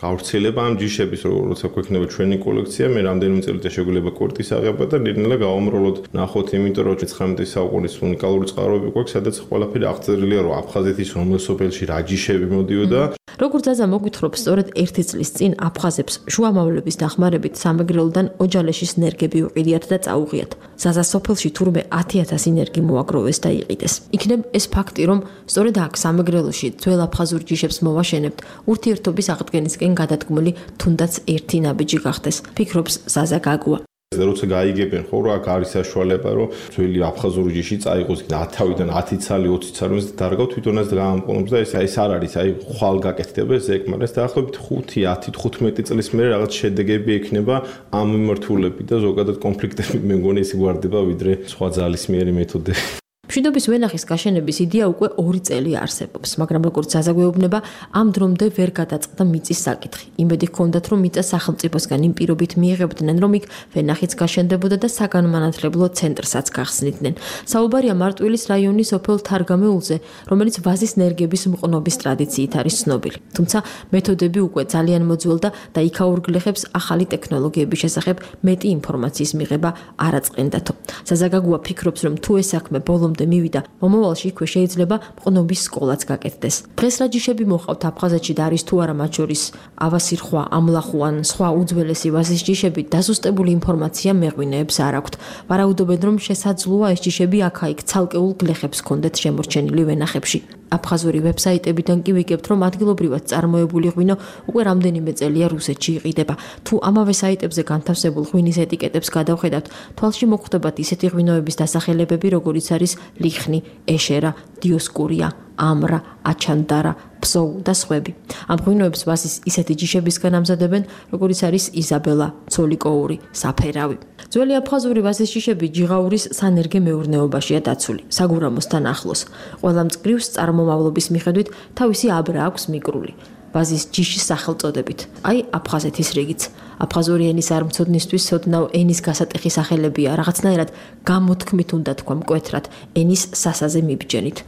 გავრცელება ამ ჯიშების, როცა გვექნება ჩვენი კოლექცია, მე რამდენიმე წელიწადში შეგვიძლია კვერტის აღება და ნელ-ნელა გავამრავლოთ, ნახოთ, იმიტომ რომ 19 საუკუნის უნიკალური წყაროები გვაქვს, სადაც ყველაფერი აღწერილია, რომ აფხაზეთის რომელ სოფელში რა ჯიშები მოდიოდა. როგორც ზაზა მოგვითხრობს, სწორედ 1 წლის წინ აფხაზებს შუამავლების დახმარებით სამეგრელოდან ოჯალეშის ნერგები უყიდიათ და წაუღიათ. ზაზა სოფელში თურმე 10,000 ნერგი მოაგროვეს და იყიდეს. იქნებ ეს ფაქტი, რომ სწორედ აქ სამეგრელოში ძველ აფხაზურ ჯიშებს მოვაშენებთ, ურთიერთობის აღდგენისკენ გადადგმული თუნდაც ერთი ნაბიჯი გახდეს, ფიქრობს ზაზა გაგუა. და როცა გაიგებენ ხო, რომ აქ არის საშუალება, რომ ძველი აფხაზური ჯიში წაიღოს 10-დან 10 ცალი, 20 ცალი დარგავ თვითონაც გაამყოლებს და ეს არ არის, აი ხვალ გაკეთდება ეს ეკმარეს დაახლოებით 5-10-15 წლის მერე რაღაც შედეგები ექნება ამ მიმართულებით და ზოგადად კონფლიქტები მე მგონი ისე გვარდება ვიდრე სხვა ძალისმიერი მეთოდები. მშვიდობის ვენახის გაშენების იდეა უკვე 2 წელი არსებობს, მაგრამ როგორც ზაზა გვეუბნება, ამ დრომდე ვერ გადაწყდა მიწის საკითხი. იმედი ჰქონდათ, რომ მიწა სახელმწიფოსგან იმ პირობით მიიღებდნენ, რომ იქ ვენახიც გაშენდებოდა და საგანმანათლებლო ცენტრსაც გახსნიდნენ. საუბარია მარტვილის რაიონის ოფელ თარგამეულზე, რომელიც ვაზის ნერგების მყნობის ტრადიციით არის ცნობილი. თუმცა მეთოდები უკვე ძალიან მოძველდა და იქაურ გლეხებს ახალი ტექნოლოგიების შესახებ მეტი ინფორმაციის მიღება არ აწყენდათო. ზაზა გაგუა ფიქრობს, რომ თუ ეს საქმე ბოლომდე მივიდა, მომავალში იქვე შეიძლება მყნობის სკოლაც გაკეთდეს. დღეს რა ჯიშები მოყავთ აფხაზეთში და არის თუ არა მათ შორის ავასირხვა, ამლახუ ან სხვა უძველესი ვაზის ჯიშები, დაზუსტებული ინფორმაცია მეღვინეებს არ აქვთ. ვარაუდობენ, რომ შესაძლოა ეს ჯიშები აქა-იქ ცალკეულ გლეხებს ჰქონდეთ შემორჩენილი ვენახებში. აფხაზური ვებსაიტებიდან კი ვიგებთ, რომ ადგილობრივად წარმოებული ღვინო უკვე რამდენიმე წელია რუსეთში იყიდება. თუ ამავე საიტებზე განთავსებულ ღვინის ეტიკეტებს გადავხედავთ, თვალში მოხვდებათ ისეთი ღვინოების დასახელებები, როგორიც არის ლიხნი, ეშერა, დიოსკურია, ამრა, აჩანდარა, ფსოუ და სხვები. ამ ღვინოებს ვაზის ისეთი ჯიშებისგან ამზადებენ, როგორიც არის იზაბელა, ცოლიკოური, საფერავი. ძველი აფხაზური ვაზის ჯიშები ჯიღაურის სანერგე მეურნეობაშია დაცული, საგურამოსთან ახლოს. ყველა მწკრივს წარმომავლობის მიხედვით თავისი აბრა აქვს მიკრული. ვაზის ჯიშის სახელწოდებით. აი აფხაზეთის რიგიც. აფხაზური ენის არ მცოდნისთვის ოდნავ ენის გასატეხი სახელებია, რაღაცნაირად გამოთქმით უნდა თქვა მკვეთრად ენის სასაზე მიბჯენით.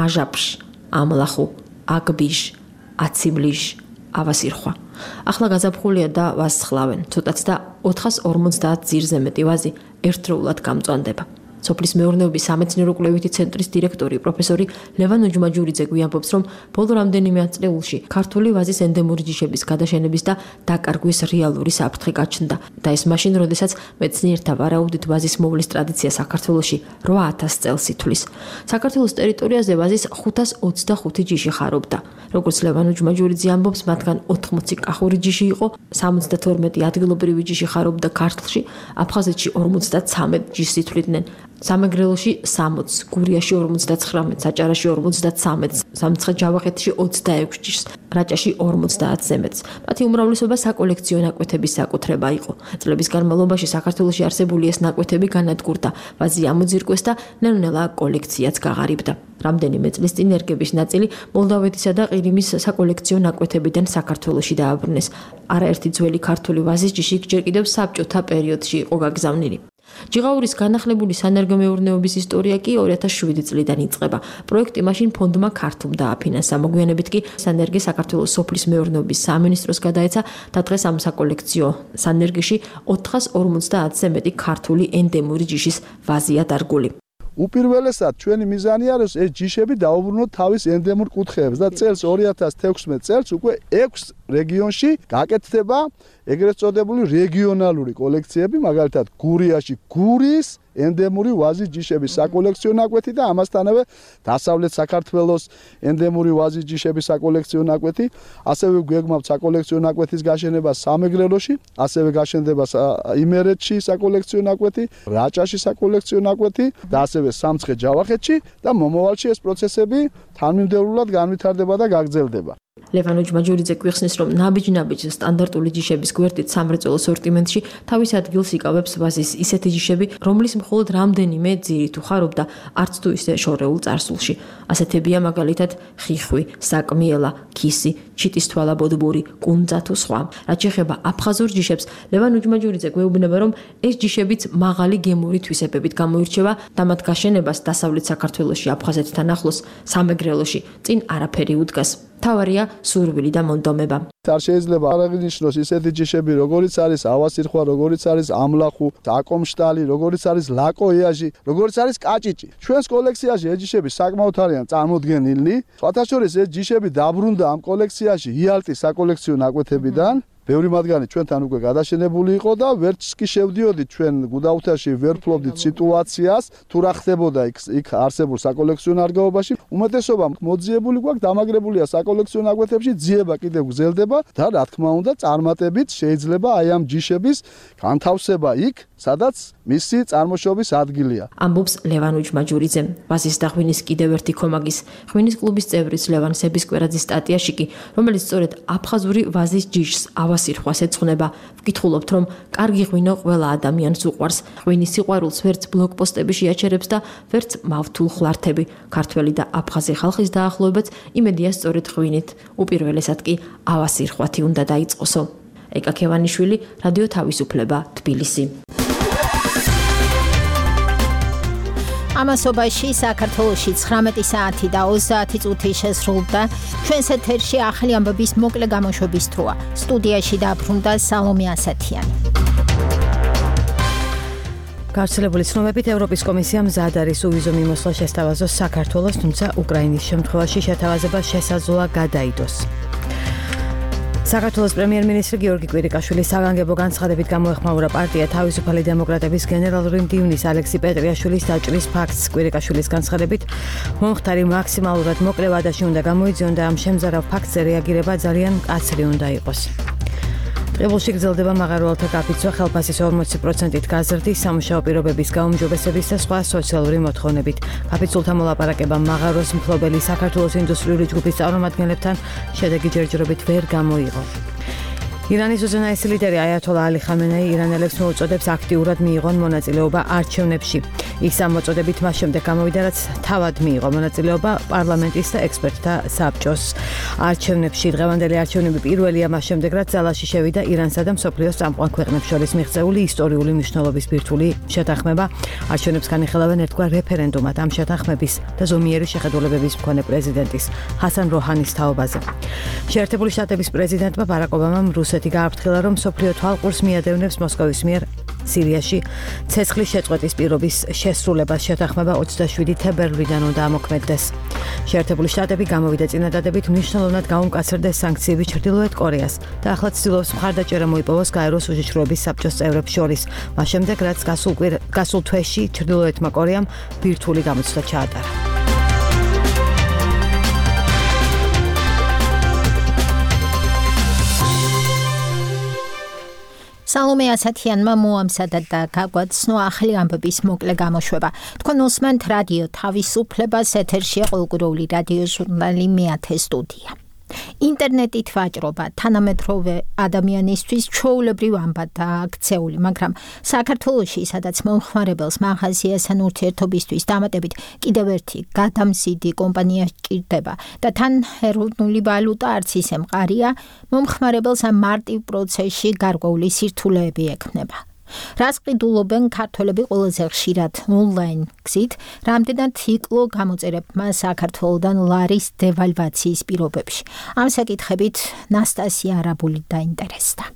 აჟაპშ, ამლახუ, აგბიშ, აციბლიშ, ავასირხვა. ახლა გაზაფხულია და ვაზს ხლავენ. ცოტაც და 450 ძირზე მეტი ვაზი ერთდროულად გამწვანდება. სოფლის მეურნეობის სამეცნიერო-კვლევითი ცენტრის დირექტორი პროფესორი ლევან უჯმაჯურიძე გვიამბობს, რომ ბოლო რამდენიმე ათწლეულში ქართული ვაზის ენდემური ჯიშების გადაშენების და დაკარგვის რეალური საფრთხე გაჩნდა და ეს მაშინ, როდესაც მეცნიერთა ვარაუდით ვაზის მოვლის ტრადიცია საქართველოში 8000 წელს ითვლის. საქართველოს ტერიტორიაზე ვაზის 525 ჯიში ხარობდა. როგორც ლევან უჯმაჯურიძე ამბობს, მათგან 80 კახური ჯიში იყო, 72 ადგილობრივი ჯიში ხარობდა ქართლში, აფხაზეთში 53 ჯიშს ითვლიდნენ. სამეგრელოში 60, გურიაში 59, საჭარაში 53, სამცხე-ჯავახეთში 26 ჯიშს, რაჭაში 50-ზე მეტს. მათი უმრავლესობა საკოლექციო ნაკვეთების საკუთრება იყო. წლების განმავლობაში საქართველოში არსებული ეს ნაკვეთები განადგურდა, ვაზი ამოძირკვეს და ნელ-ნელა კოლექციაც გაღარიბდა. რამდენიმე წლის წინ ერგების ნაწილი მოლდავეთისა და ყირიმის საკოლექციო ნაკვეთებიდან საქართველოში დააბრუნეს. არაერთი ძველი ქართული ვაზის ჯიში ჯერ კიდევ საბჭოთა პერიოდში იყო გაგზავნილი. ჯიღაურის განახლებული სანერგომეურნეობის ისტორია კი 2007 წლიდან იწყება. პროექტი მაშინ ფონდმა ქართლ დააფინანსა. მოგვიანებით კი სანერგე საქართველოს სოფლის მეურნეობის სამინისტროს გადაეცა და დღეს ამ საკოლექციო სანერგეში 450-ზე მეტი ქართული ენდემური ჯიშის ვაზია დარგული. უპირველესად ჩვენი მიზანი არის ეს ჯიშები დაუბრუნოთ თავის ენდემურ კუთხეებს და წელს 2016 წელს უკვე 6 რეგიონში გაკეთდება ეგრეთ წოდებული რეგიონალური კოლექციები, მაგალითად გურიაში გურის ენდემური ვაზის ჯიშების საკოლექციო ნაკვეთი და ამასთანავე დასავლეთ საქართველოს ენდემური ვაზის ჯიშების საკოლექციო ნაკვეთი, ასევე გვეგმავთ საკოლექციო ნაკვეთის გაშენება სამეგრელოში, ასევე გაშენდება იმერეთში საკოლექციო ნაკვეთი, რაჭაში საკოლექციო ნაკვეთი და ასევე სამცხე-ჯავახეთში და მომავალში ეს პროცესები თანმიმდევრულად განვითარდება და გაგრძელდება. ლევან უჯმაჯურიძე გვიხსნის, რომ ნაბიჯ-ნაბიჯ სტანდარტული ჯიშების გვერდით სამრეწველო სორტიმენტში თავის ადგილს იკავებს ვაზის ისეთი ჯიშები, რომლის მხოლოდ რამდენიმე ძირით უხარობდა არც თუ ისე შორეულ წარსულში. ასეთებია მაგალითად ხიხვი, საკმიელა, ქისი, ჩიტისთვალა ბოდბური, კუნძა თუ სხვა. რაც შეეხება აფხაზურ ჯიშებს, ლევან უჯმაჯურიძე გვეუბნება, რომ ეს ჯიშებიც მაღალი გემური თვისებებით გამოირჩევა და მათ გაშენებას დასავლეთ საქართველოში აფხაზეთთან ახლოს სამეგრელოში წინ არაფერი უდგას. თავარია სურვილი და მონდომება. არ შეიძლება არ აღინიშნოს ისეთი ჯიშები, როგორიც არის ავასირხვა, როგორიც არის ამლახუ, აკომშტალი, როგორიც არის ლაკოიაჟი, როგორიც არის კაჭიჭი. ჩვენს კოლექციაში ეს ჯიშები საკმაოდ არიან წარმოდგენილნი. სხვათა შორის ეს ჯიშები დაბრუნდა ამ კოლექციაში იალტის საკოლექციო ნაკვეთებიდან. ბევრი მათგანი ჩვენთან უკვე გადაშენებული იყო და ვერც კი შევდიოდით ჩვენ გუდაუთაში, ვერ ფლობდით სიტუაციას, თუ რა ხდებოდა იქ არსებულ საკოლექციო ნარგავობაში. უმეტესობა მოძიებული გვაქვს, დამაგრებულია საკოლექციო ნაკვეთებში, ძიება კიდევ გრძელდება და რა თქმა უნდა, წარმატებით შეიძლება აი ამ ჯიშების განთავსება იქ, სადაც მისი წარმოშობის ადგილია. ამბობს ლევან უჯმაჯურიძე. ვაზის და ღვინის კიდევ ერთი ქომაგის ღვინის კლუბის წევრის ლევან სებისკვერაძის სტატიაში კი, რომელიც სწორედ აფხაზური ვაზის ჯიშს ავასირხვას ეძღვნება. ვკითხულობთ, რომ კარგი ღვინო ყველა ადამიანს უყვარს. ღვინის სიყვარულს ვერც ბლოკპოსტები შეაჩერებს და ვერც მავთულ ხლართები. ქართველი და აფხაზი ხალხის დაახლოებაც იმედია სწორედ ღვინით. უპირველესად კი ავასირხვათი უნდა დაიწყოსო. ეკა ქევანიშვილი, რადიო თავისუფლება, თბილისი. ამასობაში საქართველოში 19 საათი და 30 წუთი შესრულდა. ჩვენს ეთერში ახალი ამბების მოკლე გამოშვების დროა. სტუდიაში დაბრუნდა სალომე ასათიანი. გავრცელებული ცნობებით ევროპის კომისიამ მზად არის უვიზო მიმოსვლა შესთავაზოს საქართველოს, თუმცა უკრაინის შემთხვევაში შეთავაზება შესაძლოა გადაიდოს. საქართველოს პრემიერ-მინისტრი გიორგი კვირიკაშვილის საგანგებო განცხადებით გამოეხმაურა პარტია თავისუფალი დემოკრატების გენერალური მდივნის ალექსი პეტრიაშვილის დაჭრის ფაქტს. კვირიკაშვილის განცხადებით მომხდარი მაქსიმალურად მოკლე ვადაში უნდა გამოიძიონ და ამ შემზარავ ფაქტზე რეაგირება ძალიან მკაცრი უნდა იყოს. ტყიბულში გრძელდება მაღაროელთა გაფიცვა ხელფასის 40%-ით გაზრდის, სამუშაო პირობების გაუმჯობესების და სხვა სოციალური მოთხოვნებით. გაფიცულთა მოლაპარაკება მაღაროს მფლობელი საქართველოს ინდუსტრიული ჯგუფის წარმომადგენლებთან შედეგი ჯერჯერობით ვერ გამოიღო. ირანის უზენაესი ლიდერი აიათოლა ალი ხამენეი ირანელებს მოუწოდებს აქტიურად მიიღონ მონაწილეობა არჩევნებში. ის ამ მოწოდებით მას შემდეგ გამოვიდა, რაც თავად მიიღო მონაწილეობა პარლამენტის და ექსპერტთა საბჭოს არჩევნებში. დღევანდელი არჩევნები პირველია მას შემდეგ, რაც ძალაში შევიდა ირანსა და მსოფლიოს წამყვან ქვეყნებს შორის მიღწეული ისტორიული მნიშვნელობის ბირთვული შეთანხმება. არჩევნებს განიხილავენ ერთგვარ რეფერენდუმად ამ შეთანხმების და ზომიერი შეხედულებების მქონე პრეზიდენტის ჰასან როჰანის თაობაზე. შეერთებული შტატების პრეზიდენტმა ბარაკ ობამამ რუსეთი გააფრთხილა, რომ მსოფლიო თვალყურს მიადევნებს მოსკოვის მიერ სირიაში ცეცხლის შეწყვეტის პირობის შესრულებას. შეთანხმება 27 თებერვლიდან უნდა ამოქმედდეს. შეერთებული შტატები გამოვიდა წინადადებით მნიშვნელოვნად გაუმკაცრდეს სანქციები ჩრდილოეთ კორეას და ახლა ცდილობს მხარდაჭერა მოიპოვოს გაეროს უშიშროების საბჭოს წევრებს შორის. მას შემდეგ, რაც გასულ თვეში ჩრდილოეთმა კორეამ ბირთვული გამოცდა ჩაატარა. სალომე ასათიანმა მოამზადა და გაგვაცნო ახალი ამბების მოკლე გამოშვება. თქვენ უსმენთ რადიო თავისუფლებას, ეთერშია ყოველკვირეული რადიო ჟურნალი მეათე სტუდია. ინტერნეტით ვაჭრობა თანამედროვე ადამიანისთვის ჩვეულებრივ ამბადაა აქცეული, მაგრამ საქართველოში, სადაც მომხმარებელს მაღაზიასთან ურთიერთობისთვის დამატებით კიდევ ერთი გადამზიდი კომპანია სჭირდება და თან ეროვნული ვალუტა არც ისე მყარია, მომხმარებელს ამ მარტივ პროცესში გარკვეული სირთულეები ექმნება. რას ყიდულობენ ქართველები ყველაზე ხშირად ონლაინ გზით, რამდენად იკლო გამოწერებმა საქართველოდან ლარის დევალვაციის პირობებში. ამ საკითხებით ნასტასია არაბული დაინტერესდა.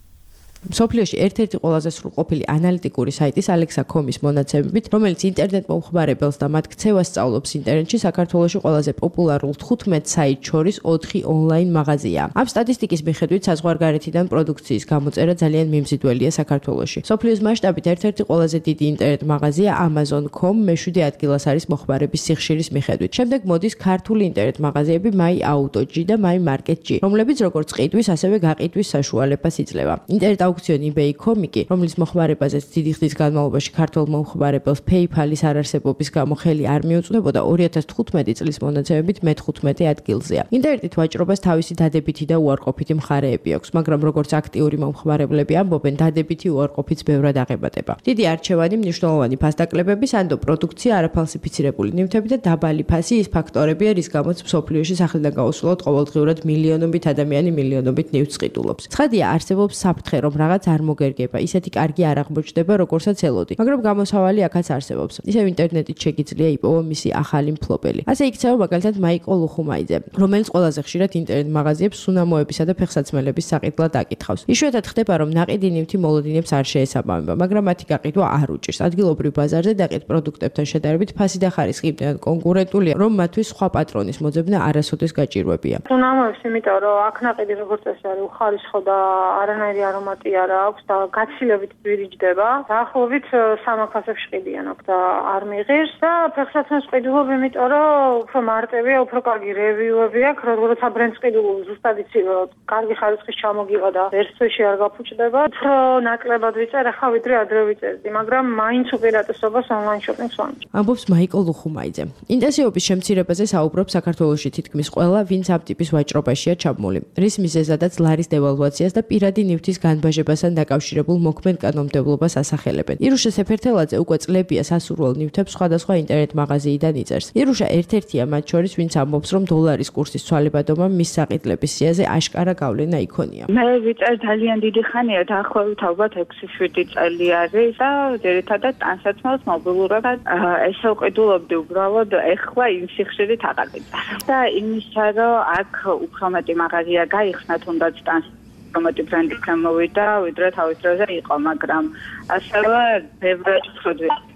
მსოფლიოში ერთ-ერთი ყველაზე სრულყოფილი ანალიტიკური საიტის Alexa.com-ის მონაცემებით, რომელიც ინტერნეტ მომხმარებელს და მათ ქცევას სწავლობს ინტერნეტში, საქართველოში ყველაზე პოპულარულ 15 საიტს შორის 4 ონლაინ მაღაზიაა. ამ სტატისტიკის მიხედვით საზღვარგარეთიდან პროდუქციის გამოწერა ძალიან მიმზიდველია საქართველოში. მსოფლიოს მასშტაბით ერთ-ერთი ყველაზე დიდი ინტერნეტ მაღაზია Amazon.com მე-7 ადგილას არის მოხმარების სიხშირის მიხედვით. შემდეგ მოდის ქართული ინტერნეტ მაღაზიები My Auto.G და My Market.G, რომლებიც როგორც ყიდვის, ასევე გაყიდვის საშუალებას იძლევა. ინტერნეტ აუქციონი eBay.com, რომლის მოხმარებაზეც დიდი ხნის განმავლობაში ქართულ მომხმარებელს PayPal-ის არარსებობის გამო ხელი არ მიუწვდებოდა, 2015 წლის მონაცემებით მე-15 ადგილზეა. ინტერნეტით ვაჭრობას თავისი დადებითი და უარყოფითი მხარეები აქვს, მაგრამ როგორც აქტიური მომხმარებლები ამბობენ, დადებითი უარყოფით ბევრად აღებადება. დიდი არჩევანი, მნიშვნელოვანი ფასდაკლებები, სანდო პროდუქცია, არაფალსიფიცირებული ნივთები და დაბალი ფასი ის ფაქტორებია, რის გამოც მსოფლიოში სახლიდან გაუსვლელად ყოველდღიურად მილიონობით ადამიანი მილიონობით ნივთს ყიდულობს. ცხადია, არსებობს საფრთხე, რომ რაღაც არ მოგერგება, ისეთი კარგი არ აღმოჩნდება, როგორცაც ელოდი. მაგრამ გამოსავალი აქაც არსებობს. ისევ ინტერნეტით შეგიძლია იპოვო მისი ახალი მფლობელი. ასე იქცევა მაგალითად მაიკო ლუხუმაიძე, რომელიც ყველაზე ხშირად ინტერნეტ მაღაზიებს სუნამოებისა და ფეხსაცმელების საყიდლად აკითხავს. იშვიათად ხდება, რომ ნაყიდი ნივთი მოლოდინებს არ შეესაბამება, მაგრამ მათი გაყიდვა არ უჭირს. ადგილობრივ ბაზარზე დაყიდ პროდუქტებთან შედარებით ფასი და ხარისხი იმდენად კონკურენტულია, რომ მათთვის სხვა პატრონის მოძებნა არასოდეს გაჭირვებია. სუნამოებს, იმიტომ რომ აქ ნაყიდი როგორც წესი არის უხარისხო და არანაირი არომატი არა აქვს და გაცილებით ძვირიჯდება. დაახლოებით 300-ზე ყიდიან აქ და არ მიიღებს და ფეხსაცმლის ყიდულობ, იმიტომ რომ უფრო მარტივია, უფრო კარგი რევიუები აქვს, როდესაც აბრენს ყიდულობ ზუსტად იცი, რომ კარგი ხარისხის ჩამოგივა და ერთ თვეში არ გაფუჭდება. უფრო ნაკლებად ვიწერ ახლა ვიდრე ადრე ვიწერდი, მაგრამ მაინც უპირატესობას ონლაინ შოპინგს ვამჯობ. ამბობს მაიკოლ ლუხუმაიძე. ინტენსივობის შემცირებაზე საუბრობს საქართველოში თითქმის ყველა, ვინც ამ ტიპის ვაჭრობაშია ჩაბმული. რის მიზეზადაც ლარის დევალვაციას და პირადი ნივთის განბაჟებასთან დაკავშირებულ მოქმედ კანონმდებლობას ასახელებენ. ირუშა სეფერთელაძე უკვე წლებია სასურველ ნივთებს სხვადასხვა ინტერნეტ მაღაზიიდან იწერს. ირუშა ერთ-ერთია მათ შორის, ვინც ამბობს, რომ დოლარის კურსის ცვალებადობა მის საყიდლების სიაზე აშკარა გავლენა იქონია. მე ვიწერ ძალიან დიდი ხანია, დაახლოებით ალბათ 6-7 წელი არის და ძირითადად ტანსაცმელს მობილურადად ესე ვყიდულობდი უბრალოდ ეხლა იმ სიხშირით აღარ ვიწარ. და იმისა, რომ აქ უფრო მეტი მაღაზია გაიხსნა თუნდაც ტანსაცმელი ბრენდი გამოვიდა, ვიდრე თავის დროზე იყო, მაგრამ ასევე ბევრად ვხედავ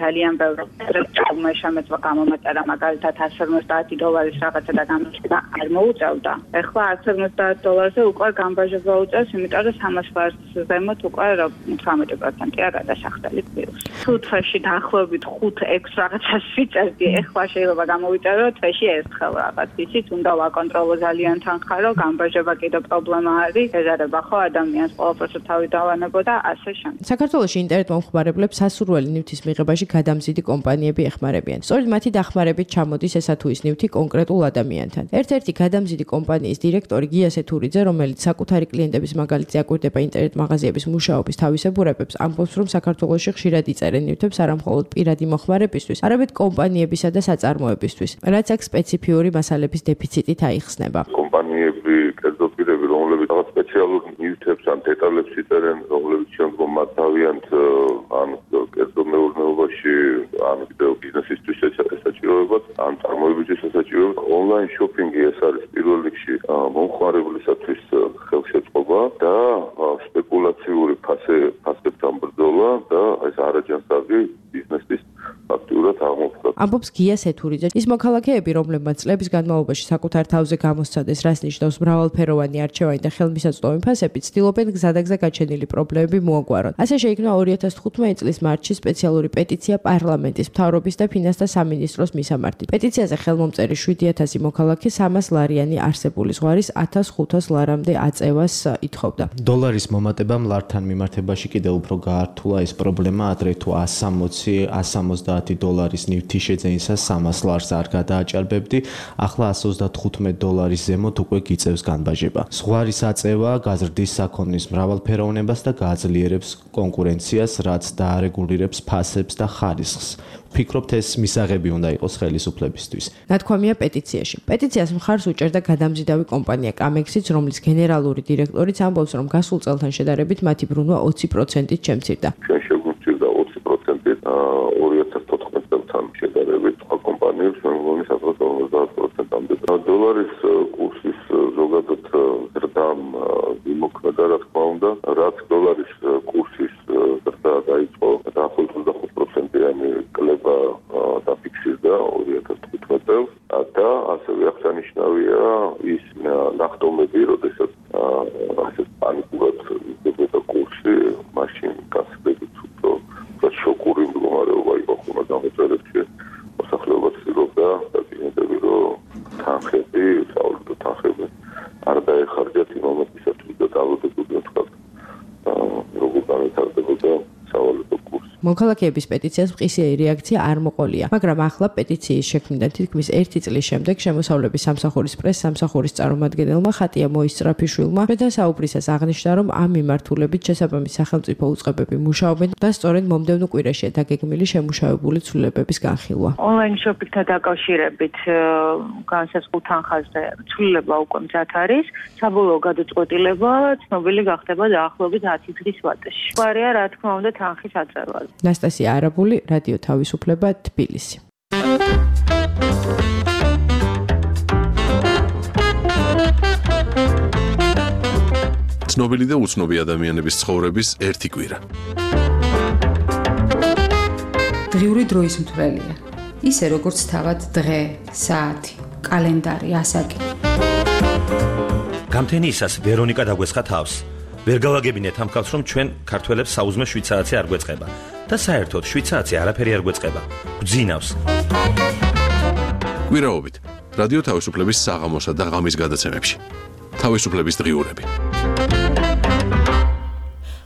ძალიან ბევრი ტრამვაი შემეწვა გამომეწერა მაგალითად $150 რაღაცა და გამოჩნდა არ მოუწევდა. ეხლა $150 უკვე გამბაჟება უწევს, იმიტომ რომ 300 ბარს ზემოთ უკვე 18%-ია გადასახდელი პლუს. თუ თვეში დაახლოებით 5-6 რაღაცას ვიწერდი, ეხლა შეიძლება გამოვიწერო თვეში ერთხელ რაღაც. ისიც უნდა ვაკონტროლო ძალიან თანხა, რომ გამბაჟება კიდევ პრობლემა არის, ეზარება ხო ადამიანს ყველაფერს თავი დავანებო და ასე შემდეგ. საქართველოში ინტერნეტ მომხმარებლებს სასურველი ნივთის მიღებაში გადამზიდი კომპანიები ეხმარებიან. სწორედ მათი დახმარებით ჩამოდის ესა თუ ის ნივთი კონკრეტულ ადამიანთან. ერთ-ერთი გადამზიდი კომპანიის დირექტორი გია სეთურიძე, რომელიც საკუთარი კლიენტების მაგალითზე აკვირდება ინტერნეტ მაღაზიების მუშაობის თავისებურებებს, ამბობს, რომ საქართველოში ხშირად იწერენ ნივთებს არა მხოლოდ პირადი მოხმარებისთვის, არამედ კომპანიებისა და საწარმოებისთვის, რაც აქ სპეციფიური მასალების დეფიციტით აიხსნება. კომპანიები, კერძოდ პირები, რომლებიც რაღაც სპეციალურ ნივთებს ან დეტალებს იწერენ, რომლებიც შემდგომ მათ თავიანთ ან კერძოდ მეურნეობაში ან კიდევ ბიზნესისთვის ესაჭიროებად, ან წარმოებისთვის ესაჭიროებად, ონლაინ შოპინგი ეს არის პირველ რიგში მომხმარებლისათვის ხელშეწყობა და სპეკულაციური ფასებთან ბრძოლა და ეს არაჯანსაღი ბიზნესის აქტიურად აღმოფხვრა. ამბობს გია სეთურიძე. ის მოქალაქეები, რომლებმაც წლების განმავლობაში საკუთარ თავზე გამოსცადეს, რას ნიშნავს მრავალფეროვანი არჩევანი და ხელმისაწვდომი ფასები, ცდილობენ გზადაგზა გაჩენილი პრობლემები მოაგვარონ. ასე შეიქმნა 2015 წლის მარტში სპეციალური პეტიცია პარლამენტის, მთავრობის და ფინანსთა სამინისტროს მისამართი. პეტიციაზე ხელმომწერი 7000 მოქალაქე 300 ლარიანი არსებული ზღვარის 1500 ლარამდე აწევას ითხოვდა. დოლარის მომატებამ ლართან მიმართებაში კიდევ უფრო გაართულა ეს პრობლემა, ადრე თუ $160 ნივთი შეძენისას 300 ლარს არ გადააჭარბებდი, ახლა $135 ზემოთ უკვე გიწევს განბაჟება. ზღვარის აწევა გაზრდის საქონლის მრავალფეროვნებას და გააძლიერებს კონკურენციას, რაც დაარეგულირებს ფასებს და ხარისხს. ვფიქრობთ, ეს მისაღები უნდა იყოს ხელისუფლებისთვის. ნათქვამია პეტიციაში. პეტიციას მხარს უჭერდა გადამზიდავი კომპანია კამექსიც, რომლის გენერალური დირექტორიც ამბობს, რომ გასულ წელთან შედარებით მათი ბრუნვა 20%-ით შემცირდა. შეგვიძლია 20%-ით 2014 წელთან შედარებით სხვა კომპანიებს მეგონი 50%-ამდე. დოლარის კურსის ზოგადად ზრდამ იმოქმედა, რა თქმა უნდა, რაც დოლარის კურსის ზრდა დაიწყო დაახლოებით 25%-იანი კლება დაფიქსირდა 2015 წელს და ასევე აღსანიშნავია ის ნახტომები, როდესაც ასე პანიკურად იბეჭდა კურსი, მაშინ გასაგებით უფრო შოკური მდგომარეობა იყო ხოლმე გამოწერებში. მოსახლეობა ცდილობდა დაკინდები, რომ თანხები, საავადმყოფო თანხები არ დაეხარჯათ იმ მომენტისათვის და დავუდებოდნენ თქვა როგორ განვითარდებოდა საავადმყოფო კურსი. მოქალაქეების პეტიციას მყისიერი რეაქცია არ მოყოლია, მაგრამ ახლა პეტიციის შექმნიდან თითქმის 1 წლის შემდეგ შემოსავლების სამსახურის პრეს-სამსახურის წარმომადგენელმა ხატია მოისწრაფიშვილმა მეთასაუბრისას აღნიშნა, რომ ამ მიმართულებით შესაბამის სახელმწიფო უწყებები მუშაობენ და სწორედ მომდევნო კვირაშია დაგეგმილი შემუშავებული ცვლილებების განხილვა. ონლაინ შოპინგთან დაკავშირებით განსაზღვრულ თანხაზე ცვლილება უკვე მზად არის. საბოლოო გადაწყვეტილება ცნობილი გახდება დაახლოებით 10 დღის ვადაში. გვარია, რა თქმა უნდა, თანხის აწევა. ნასტასია არაბული, რადიო თავისუფლება, თბილისი. ცნობილი და უცნობი ადამიანების ცხოვრების ერთი კვირა. დღიური დროის მთვრელია. ისე როგორც თავად დღე, საათი, კალენდარი, ასაკი. გამთენიისას ვერონიკა დაგვესხა თავს. ვერ გავაგებინეთ ამ ხალხს, რომ ჩვენ ქართველებს საუზმე შვიცარացი არ გვეწყება და საერთოდ შვიცარացი არაფერი არ გვეწყება. გძინავს. კვირაობით რადიო თავისუფლების საღამოსა და ღამის გადაცემებში. თავისუფლების დღიურები.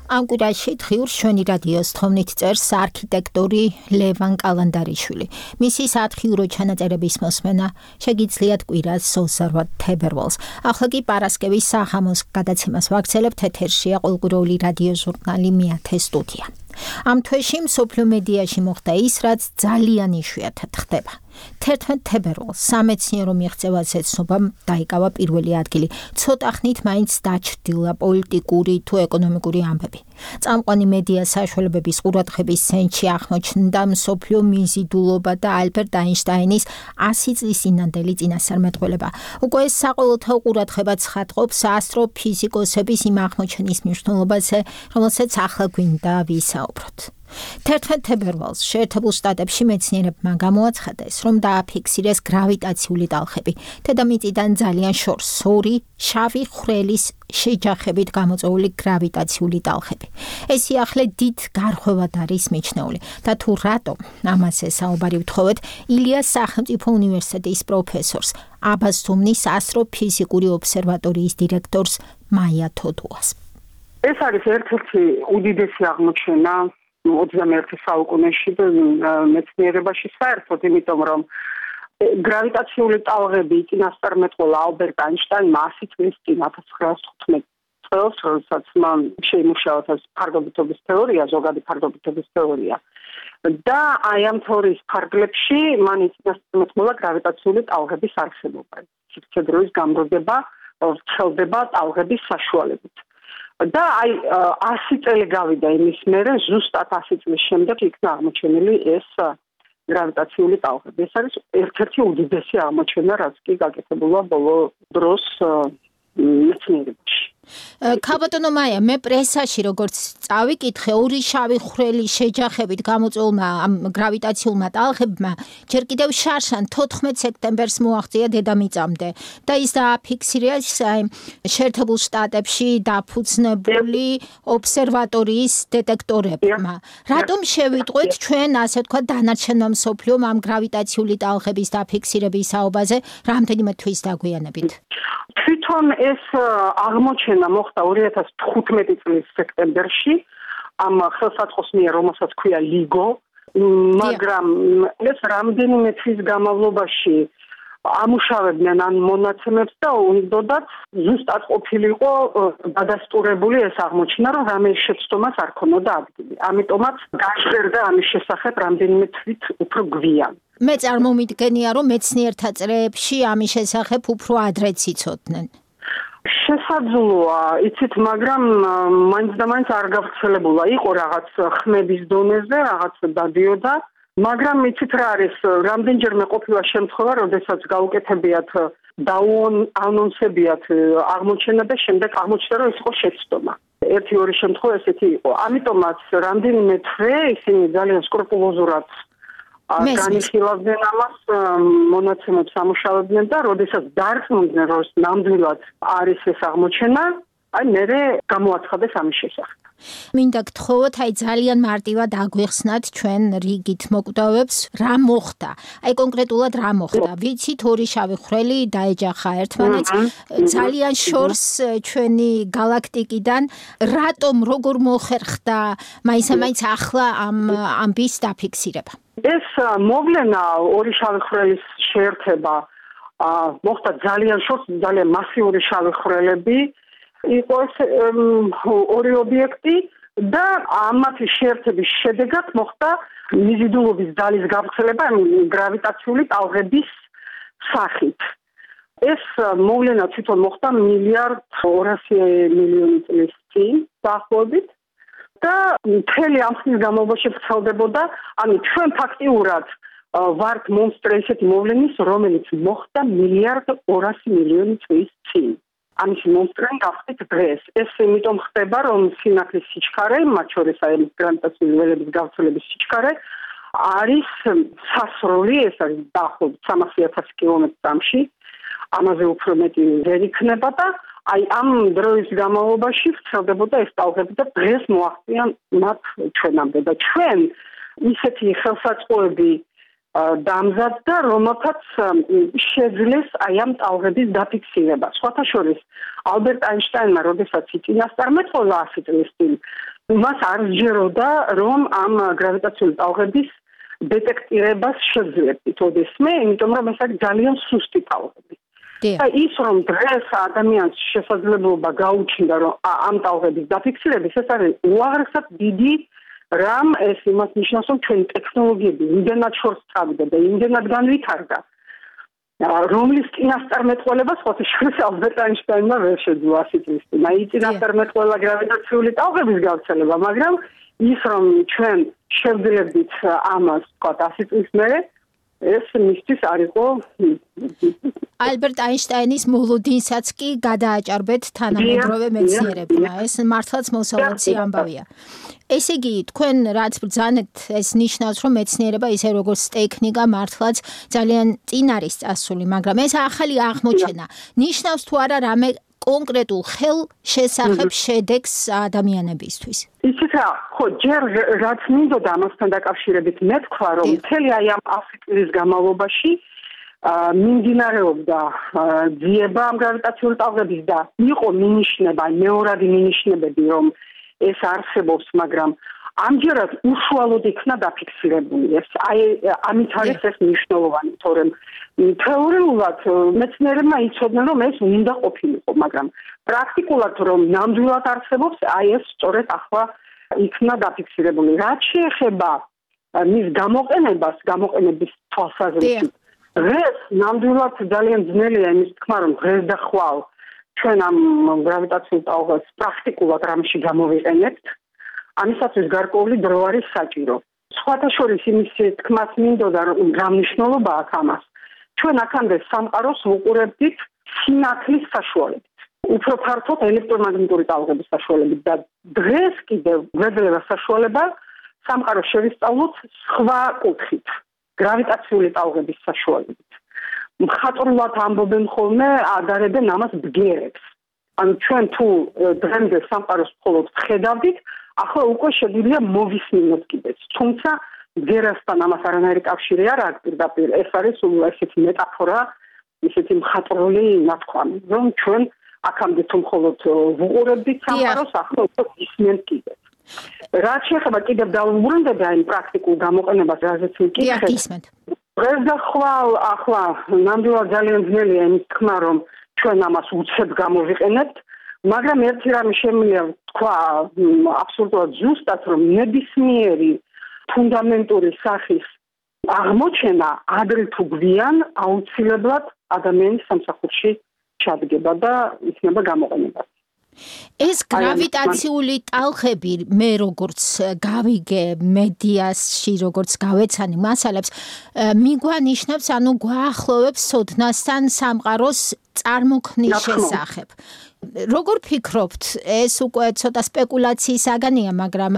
ამ კვირაში დღიურს ჩვენი რადიოს თხოვნით წერს არქიტექტორი ლევან კალანდარიშვილი. მისი სათხიურო ჩანაწერების მოსმენა შეგიძლიათ კვირას 28 თებერვალს. ახლა კი პარასკევის საღამოს გადაცემას ვაგრძელებთ. ეთერშია ყოველკვირეული რადიო ჟურნალი მეათე სტუდია. ამ თვეში მსოფლიო მედიაში მოხდა ის, რაც ძალიან იშვიათად ხდება. 11 თებერვალს სამეცნიერო მიღწევაზე ცნობამ დაიკავა პირველი ადგილი. ცოტა ხნით მაინც დაჩრდილა პოლიტიკური თუ ეკონომიკური ამბები. წამყვანი მედია საშუალებების ყურადღების ცენტრში აღმოჩნდა მსოფლიო მიზიდულობა და ალბერტ აინშტაინის 100 წლის წინანდელი წინასწარმეტყველება. უკვე საყოველთაო ყურადღება ცხადყოფს ასტროფიზიკოსების იმ აღმოჩენის მნიშვნელობაზე, რომელსაც ახლა გვინდა ვისაუბროთ. 11 თებერვალს შეერთებულ შტატებში მეცნიერებმა გამოაცხადეს, რომ დააფიქსირეს გრავიტაციული ტალღები. დედამიწიდან ძალიან შორს ორი შავი ხვრელის შეჯახებით გამოწვეული გრავიტაციული ტალღები. ეს სიახლე დიდ გარღვევად არის მიჩნეული და თუ რატომ ამაზე საუბარი ვთხოვეთ ილიას სახელმწიფო უნივერსიტეტის პროფესორს, აბასთუმნის ასტროფიზიკური ობსერვატორიის დირექტორს მაია თოდუას. ეს არის ერთ-ერთი უდიდესი აღმოჩენა 21 საუკუნეში მეცნიერებაში საერთოდ, იმიტომ რომ გრავიტაციული ტალღები წინასწარმეტყველა ალბერტ აინშტაინმა 100 წლის წინ 1915 წელს, როდესაც მან შეიმუშავა ფარდობითობის თეორია, ზოგადი ფარდობითობის თეორია. და აი ამ თეორიის ფარგლებში მან წინასწარმეტყველა გრავიტაციული ტალღების არსებობა. სივრცე-დროის გამროდება ვრცელდება ტალღების საშუალებით. და აი 100 წელი გავიდა იმის მერე, ზუსტად 100 წლის შემდეგ იქნა აღმოჩენილი ეს გრავიტაციული ტალღები. ეს არის ერთ-ერთი უდიდესი აღმოჩენა, რაც კი გაკეთებულა ბოლო დროს მეცნიერებაში. ქალბატონო მაია, მე პრესაში როგორც წავიკითხე, ორი შავი ხვრელი შეჯახებით გამოწვეულმა ამ გრავიტაციულმა ტალღებმა ჯერ კიდევ შარშან 14 სექტემბერს მოაღწია დედამიწამდე და ის დააფიქსირეს შეერთებულ შტატებში დაფუძნებული ობსერვატორიის დეტექტორებმა. რატომ შევიტყვეთ ჩვენ, ასე ვთქვათ, დანარჩენმა მსოფლიომ ამ გრავიტაციული ტალღების დაფიქსირების საუბაზე რამდენიმე თვის დაგვიანებით? თვითონ ეს აღმოჩენა მოხდა 2015 წლის სექტემბერში ამ ხელსაწყოს მიერ, რომელსაც ქვია LIGO, მაგრამ ეს რამდენიმე თვის განმავლობაში ამუშავებდნენ ან მონაცემებს და უნდოდათ ზუსტად ყოფილიყო დადასტურებული ეს აღმოჩენა, რომ რამე შეცდომას არ ქონოდა ადგილი. ამიტომაც გაჟღერდა ამის შესახებ რამდენიმე თვით უფრო გვიან. მე წარმომიდგენია, რომ მეცნიერთა წრეებში ამის შესახებ უფრო ადრე ციცოდნენ. შესაძლოა, იცით, მაგრამ მაინც და მაინც არ გავრცელებულა. იყო რაღაც ხმების დონეზე, რაღაც დადიოდა, მაგრამ იცით რა არის, რამდენჯერმე ყოფილა შემთხვევა, როდესაც გაუკეთებიათ დაუანონსებიათ აღმოჩენა და შემდეგ აღმოჩნდა, რომ ეს იყო შეცდომა. ერთი-ორი შემთხვევა ესეთი იყო. ამიტომაც რამდენიმე თვე ისინი ძალიან სკრუპულოზურად განიხილავდნენ ამას, მონაცემებს ამუშავებდნენ და როდესაც დარწმუნდნენ, რომ ნამდვილად არის ეს აღმოჩენა, აი მერე გამოაცხადეს ამის შესახებ. მინდა გთხოვოთ, აი ძალიან მარტივად აგვიხსნათ ჩვენ რიგით მოკვდავებს, რა მოხდა. აი კონკრეტულად რა მოხდა. ვიცით, ორი შავი ხვრელი დაეჯახა ერთმანეთს, ძალიან შორს ჩვენი გალაქტიკიდან. რატომ, როგორ მოხერხდა მაინც ახლა ამ ამბის დაფიქსირება? ეს მოვლენა ორი შავი ხვრელის შეერთება მოხდა ძალიან შორს, ძალიან მასიური შავი ხვრელები იყო ორი ობიექტი და ამათი შეერთების შედეგად მოხდა მიზიდულობის ძალის გავრცელება გრავიტაციული ტალღების სახით. ეს მოვლენა თვითონ მოხდა 1.2 წლის წინ დაახლოებით და მთელი ამ ხნის განმავლობაში ვრცელდებოდა, ანუ ჩვენ ფაქტიურად ვართ მონსტრ ესეთი მოვლენის, რომელიც მოხდა 1.2 წლის წინ. ამის მონსტრენ გახდით დღეს. ეს იმიტომ ხდება, რომ სინათლის სიჩქარე, მათ შორის აი გრავიტაციული ველების გავრცელების სიჩქარე არის სასროლი, ეს არის დაახლოებით 300,000 კილომეტრი წამში. ამაზე უფრო მეტი ვერ იქნება და აი ამ დროის განმავლობაში ვრცელდებოდა ეს ტალღები და დღეს მოაღწია მათ ჩვენამდე და ჩვენ ისეთი ხელსაწყოები დამზადდა, რომელთაც შეძლეს აი ამ ტალღების დაფიქსირება. სხვათა შორის, ალბერტ აინშტაინმა, როდესაც იწინასწარმეტყველა 100 წლის წინ, მას არ სჯეროდა, რომ ამ გრავიტაციული ტალღების დეტექტირებას შეძლებდით ოდესმე, იმიტომ რომ ეს არის ძალიან სუსტი ტალღები. და ის რომ დღეს ადამიანს შესაძლებლობა გაუჩნდა, რომ ამ ტალღების დაფიქსირების, ეს არის უაღრესად დიდი რამ ეს იმას ნიშნავს, რომ ჩვენი ტექნოლოგიები იმდენად შორს წავიდა და იმდენად განვითარდა, რომლის წინასწარმეტყველება სხვათა შორის ალბერტ აინშტაინმა ვერ შეძლო 100 წლის წინ. აი წინასწარმეტყველა გრავიტაციული ტალღების გავრცელება, მაგრამ ის რომ ჩვენ შევძლებდით ამას, ვთქვათ, 100 წლის მერე, ეს მისთვის არ იყო ალბერტ აინშტაინის მოლოდინსაც კი გადააჭარბეთ თანამედროვე მეცნიერებმა. ეს მართლაც მოსალოდნელი ამბავია. ესე იგი, თქვენ რაც ბრძანეთ, ეს ნიშნავს, რომ მეცნიერება ისე როგორც ტექნიკა მართლაც ძალიან წინ არის წასული, მაგრამ ეს ახალი აღმოჩენა ნიშნავს თუ არა რამე კონკრეტულ ხელშესახებ შედეგს ადამიანებისთვის. იცით რა, ხო, ჯერ რაც მინდოდა ამასთან დაკავშირებით მეთქვა, რომ მთელი აი ამ 100 წლის განმავლობაში მიმდინარეობდა ძიება ამ გრავიტაციული ტალღების და იყო მინიშნება, მეორადი მინიშნებები, რომ ეს არსებობს, მაგრამ ამჯერად უშუალოდ იქნა დაფიქსირებული ეს. აი ამით არის ეს მნიშვნელოვანი, თორემ თეორიულად მეცნიერებმა იცოდნენ, რომ ეს უნდა ყოფილიყო, მაგრამ პრაქტიკულად რომ ნამდვილად არსებობს, აი ეს სწორედ ახლა იქნა დაფიქსირებული. რაც შეეხება მის გამოყენებას, გამოყენების თვალსაზრისით, დღეს ნამდვილად ძალიან ძნელია იმის თქმა, რომ დღეს და ხვალ ჩვენ ამ გრავიტაციულ ტალღებს პრაქტიკულად რამში გამოვიყენებთ. ამისათვის გარკვეული დრო არის საჭირო. სხვათა შორის იმის თქმას მინდოდა, რომ რა მნიშვნელობა აქვს ამას. ჩვენ აქამდე სამყაროს ვუყურებდით სინათლის საშუალებით. უფრო ფართოდ ელექტრომაგნიტური ტალღების საშუალებით და დღეს კიდევ გვეძლევა საშუალება სამყაროს შევისწავლოთ სხვა კუთხით, გრავიტაციული ტალღების საშუალებით. მხატვრულად ამბობენ ხოლმე, ადარებენ ამას ბგერებს. ანუ ჩვენ თუ დღემდე სამყაროს მხოლოდ ხედავდით, ახლა უკვე შეგვიძლია მოვისმინოთ კიდეც. თუმცა ბგერასთან ამას არანაირი კავშირი არ აქვს პირდაპირ. ეს არის ესეთი მეტაფორა, ესეთი მხატვრული ნათქვამი, რომ ჩვენ აქამდე თუ მხოლოდ ვუყურებდით სამყაროს, ახლა უკვე ვისმენთ კიდეც. რაც შეეხება კიდევ დავუბრუნდები აი პრაქტიკულ გამოყენებას, რაზეც მიკითხეთ. დღეს და ხვალ ახლა ნამდვილად ძალიან ძნელია იმის თქმა, რომ ჩვენ ამას უცებ გამოვიყენებთ, მაგრამ ერთი რამე შემიძლია თქვა აბსოლუტურად ზუსტად, რომ ნებისმიერი ფუნდამენტური სახის აღმოჩენა ადრე თუ გვიან აუცილებლად ადამიანის სამსახურში ჩადგება და იქნება გამოყენება. ეს გრავიტაციული ტალღები მე როგორც გავიგე მედიაში როგორც გავეცანი მასალებს მიგვანიშნებს ანუ გვაახლოვებს ოდნასთან სამყაროს წარმოქმნის შესახებ. როგორ ფიქრობთ, ეს უკვე ცოტა სპეკულაციის საგანია, მაგრამ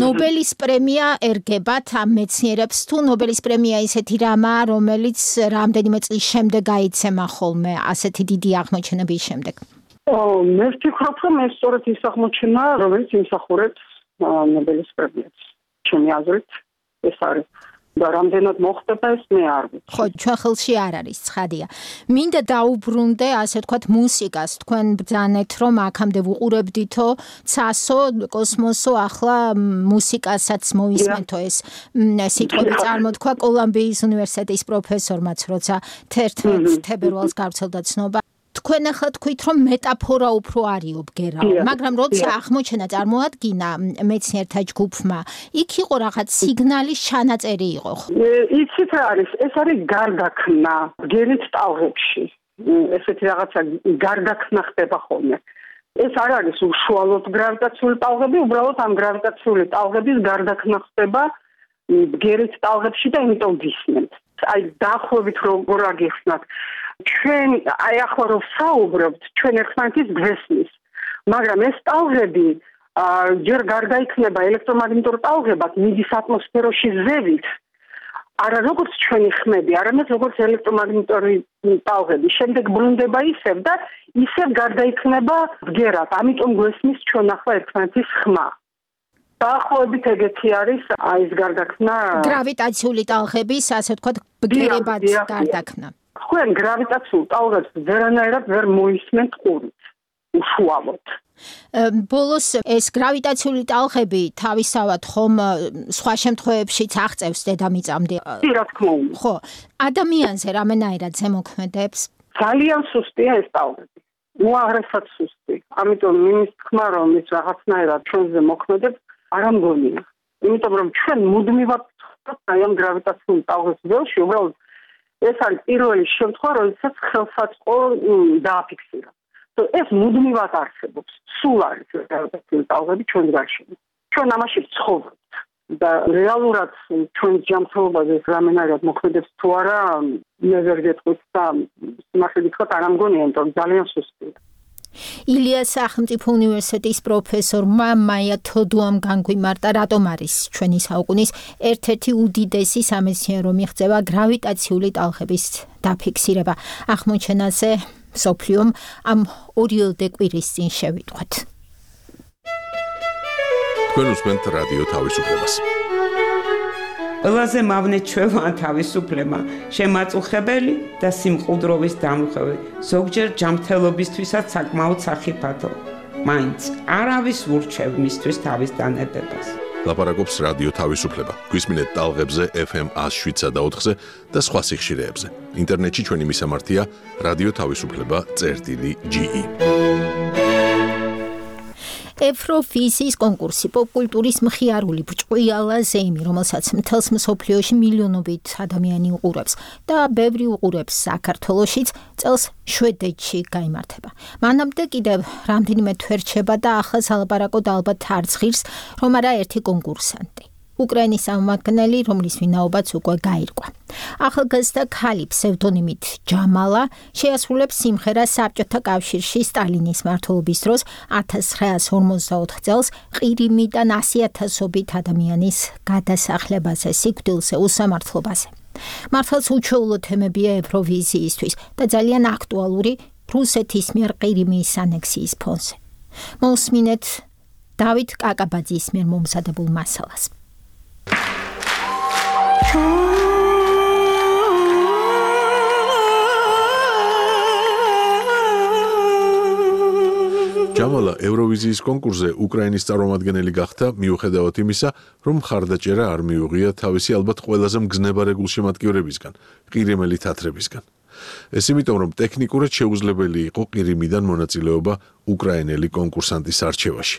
ნობელის პრემია ერგებათ ამ მეცნიერებს თუ ნობელის პრემია ისეთი რამაა, რომელიც რამდენიმე წლის შემდეგ გაიცემა ხოლმე ასეთი დიდი აღმოჩენების შემდეგ? მე ვფიქრობ, რომ ეს სწორედ ის აღმოჩენა, რომელიც იმსახურებს ნობელის პრემიას. ჩემი აზრით, ეს არის. და რამდენად მოხდება ეს მე არ ვიცი. ხო, ჩვენ ხელში არ არის, ცხადია. მინდა დაუბრუნდე, ასე ვთქვათ, მუსიკას. თქვენ ბრძანეთ, რომ აქამდე ვუყურებდითო, ცასო, კოსმოსო, ახლა მუსიკასაც მოვისმენთო ეს სიტყვები წარმოთქვა კოლუმბიის უნივერსიტეტის პროფესორმაც, როცა 11 თებერვალს გავრცელდა ცნობა. თქვენ ახლა თქვით, რომ მეტაფორა უფრო არისო ბგერაო, მაგრამ როცა აღმოჩენა წარმოადგინა მეცნიერთა ჯგუფმა, იქ იყო რაღაც სიგნალის ჩანაწერი იყო. იცით რა არის? ეს არის გარდაქმნა ბგერით ტალღებში. ესეთი რაღაცა გარდაქმნა ხდება ხოლმე. ეს არ არის უშუალოდ გრავიტაციული ტალღები, უბრალოდ ამ გრავიტაციული ტალღების გარდაქმნა ხდება ბგერით ტალღებში და იმიტომ ვისმენთ. აი დაახლოებით როგორ აგიხსნათ. ჩვენ აი ახლა რომ საუბრობთ, ჩვენ ერთმანეთის გვესმის, მაგრამ ეს ტალღები ჯერ გარდაიქმნება ელექტრომაგნიტურ ტალღებად, მიდის ატმოსფეროში ზევით, არა როგორც ჩვენი ხმები, არამედ როგორც ელექტრომაგნიტური ტალღები. შემდეგ ბრუნდება ისევ და ისევ გარდაიქმნება ბგერად. ამიტომ გვესმის ჩვენ ახლა ერთმანეთის ხმა. დაახლოებით ეგეთი არის ეს გარდაქმნა გრავიტაციული ტალღების, ასე ვთქვათ, ბგერებად გარდაქმნა. თქვენ გრავიტაციულ ტალღებს ვერანაირად ვერ მოისმენთ ყურით. უშუალოდ. ბოლოს ეს გრავიტაციული ტალღები თავისავად ხომ სხვა შემთხვევებშიც აღწევს დედამიწამდე. რა თქმა უნდა. ხო, ადამიანზე რამენაირად ზემოქმედებს? ძალიან სუსტია ეს ტალღები. უაღრესად სუსტი. ამიტომ იმის თქმა რომ ის რაღაცნაირად ჩვენზე მოქმედებს, არ ამგონია. იმიტომ რომ ჩვენ მუდმივად აი ამ გრავიტაციული ტალღების ველში უბრალოდ ეს არის პირველი შემთხვევა, როდესაც ხელსაწყო დააფიქსირა. ეს მუდმივად არსებობს. სულ არის გრავიტაციული ტალღები ჩვენ გარშემო. ჩვენ ამაში ვცხოვრობთ და რეალურად ჩვენ ჯანმრთელობაზე რამენაირად მოქმედებს თუ არა, მე ვერ გეტყვით და სიმართლე გითხრათ არ ამგონია, იმიტომ ძალიან სუსტია. ილიას სახელმწიფო უნივერსიტეტის პროფესორმა მაია თოდუამ განგვიმარტა, რატომ არის ჩვენი საუკუნის ერთ-ერთი უდიდესი სამეცნიერო მიღწევა გრავიტაციული ტალღების დაფიქსირება. აღმოჩენაზე მსოფლიომ ამ 2 კვირის წინ შევიტყვეთ. თქვენ უსმენთ რადიო თავისუფლებას. ყველაზე მავნე ჩვევაა თავისუფლება, შემაწუხებელი და სიმყუდროვის დამუხევი, ზოგჯერ ჯანმრთელობისთვისაც საკმაოდ სახიფათო. მაინც არავის ურჩევ მისთვის თავის დანებებას. ლაპარაკობს რადიო თავისუფლება. გვისმინეთ ტალღებზე FM 107.4-ზე და სხვა სიხშირეებზე. ინტერნეტში ჩვენი მისამართია რადიო თავისუფლება.ge. ევროვიზიის კონკურსი პოპკულტურის მხიარული ბრჭყვიალა ზეიმი, რომელსაც მთელს მსოფლიოში მილიონობით ადამიანი უყურებს და ბევრი უყურებს საქართველოშიც, წელს შვედეთში გაიმართება. მანამდე კიდევ რამდენიმე თვე რჩება და ახლა სალაპარაკოდ ალბათ არც ღირს, რომ არა ერთი კონკურსანტი. უკრაინის წარმომადგენელი, რომლის ვინაობაც უკვე გაირკვა. ახალგაზრდა ქალი ფსევდონიმით ჯამალა შეასრულებს სიმღერას საბჭოთა კავშირში სტალინის მმართველობის დროს 1944 წელს ყირიმიდან 100,000-ობით ადამიანის გადასახლებაზე, სიკვდილზე, უსამართლობაზე. მართლაც უჩვეულო თემებია ევროვიზიისთვის და ძალიან აქტუალური რუსეთის მიერ ყირიმის ანექსიის ფონზე. მოусმინეთ დავით კაკაბაძის მიერ მომზადებულ მასალას. ჯამალა ევროვიზიის კონკურსზე უკრაინის წარმომადგენელი გახდა მიუხედავად იმისა, რომ მხარდაჭერა არ მიუღია თავისი ალბათ ყველაზე მგზნებარე გულშემატკივრებისგან, ყირიმელი თათრებისგან. ეს იმიტომ, რომ ტექნიკურად შეუძლებელი იყო ყირიმიდან მონაწილეობა უკრაინელი კონკურსანტის არჩევაში.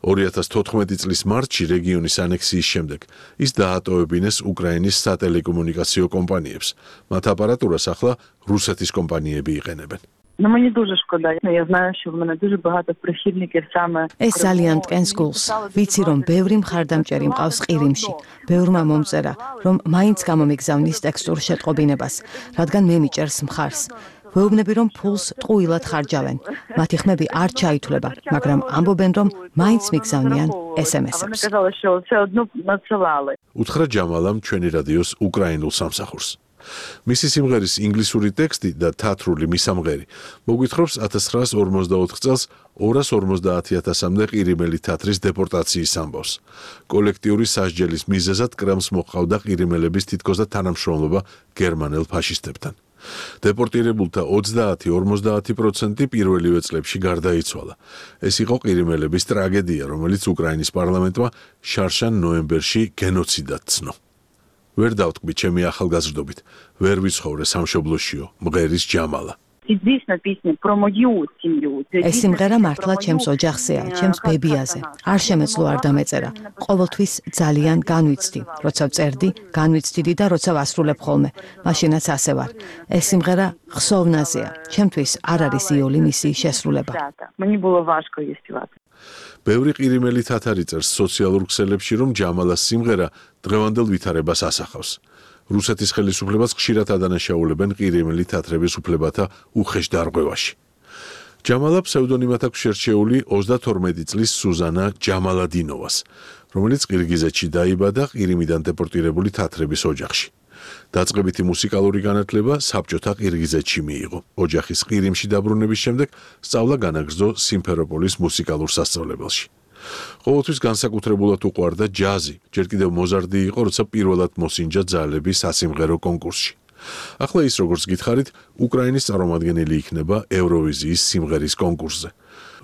2014 წლის მარტში რეგიონის ანექსიის შემდეგ ის დაატოვებინეს უკრაინის სატელეკომუნიკაციო კომპანიებს. მათ აპარატურას ახლა რუსეთის კომპანიები იყენებენ. Мені дуже шкода. Я знаю, що в мене дуже багато прихильників саме. ეს ძალიან მტკენს გულს. ვიცი, რომ ბევრი მხარდამჭერი მყავს ყირიმში. ბევრმა მომწერა, რომ მაინც გამომიგზავნის ტექსტურ შეტყობინებას, რადგან მე მიჭერს მხარს. ვეუბნები, რომ ფულს ტყუილად ხარჯავენ. მათი ხმები არ ჩაითვლება, მაგრამ ამბობენ, რომ მაინც მიგზავნიან SMS-ებს. უთხრა ჯამალამ ჩვენი რადიოს უკრაინულ სამსახურს. მისი სიმღერის ინგლისური ტექსტი და თათრული მისამღერი მოგვითხრობს 1954 წელს 250,000-მდე ყირიმელი თათრის დეპორტაციის ამბავს. კოლექტიური სასჯელის მიზეზად კრემლს მოჰყავდა ყირიმელების თითქოს და თანამშრომლობა გერმანელ ფაშისტებთან. დეპორტირებულთა 30-50% პირველივე წლებში გარდაიცვალა. ეს იყო ყირიმელების ტრაგედია, რომელიც უკრაინის პარლამენტმა შარშან ნოემბერში გენოციდად ცნო. ვერ დავტკბი ჩემი ახალგაზრდობით, ვერ ვიცხოვრე სამშობლოშიო, მღერის ჯამალა. ეს სიმღერა მართლა ჩემს ოჯახზეა, ჩემს ბებიაზე. არ შემეძლო არ დამეწერა. ყოველთვის ძალიან განვიცდი, როცა ვწერდი, განვიცდიდი და როცა ვასრულებ ხოლმე. მაშინაც ასე ვარ. ეს სიმღერა ხსოვნაზეა. ჩემთვის არ არის იოლი მისი შესრულება. ბევრი ყირიმელი თათარი წერს სოციალურ ქსელებში, რომ ჯამალას სიმღერა დღევანდელ ვითარებას ასახავს. რუსეთის ხელისუფლებას ხშირად ადანაშაულებენ ყირიმელი თათრების უფლებათა უხეშ დარღვევაში. ჯამალა ფსევდონიმად აქვს შერჩეული 32 წლის სუზანა ჯამალადინოვას. რომელიც ყირგიზეთში დაიბადა ყირიმიდან დეპორტირებული თათრების ოჯახში. დაწყებითი მუსიკალური განათლება საბჭოთა ყირგიზეთში მიიღო. ოჯახის ყირიმში დაბრუნების შემდეგ სწავლა განაგრძო სიმფეროპოლის მუსიკალურ სასწავლებელში. ყოველთვის განსაკუთრებულად უყვარდა ჯაზი, ჯერ კიდევ მოზარდი იყო, როცა პირველად მოსინჯა ძალების სასიმღერო კონკურსში. ახლა ის, როგორც გითხარით, უკრაინის წარმომადგენელი იქნება ევროვიზიის სიმღერის კონკურსზე,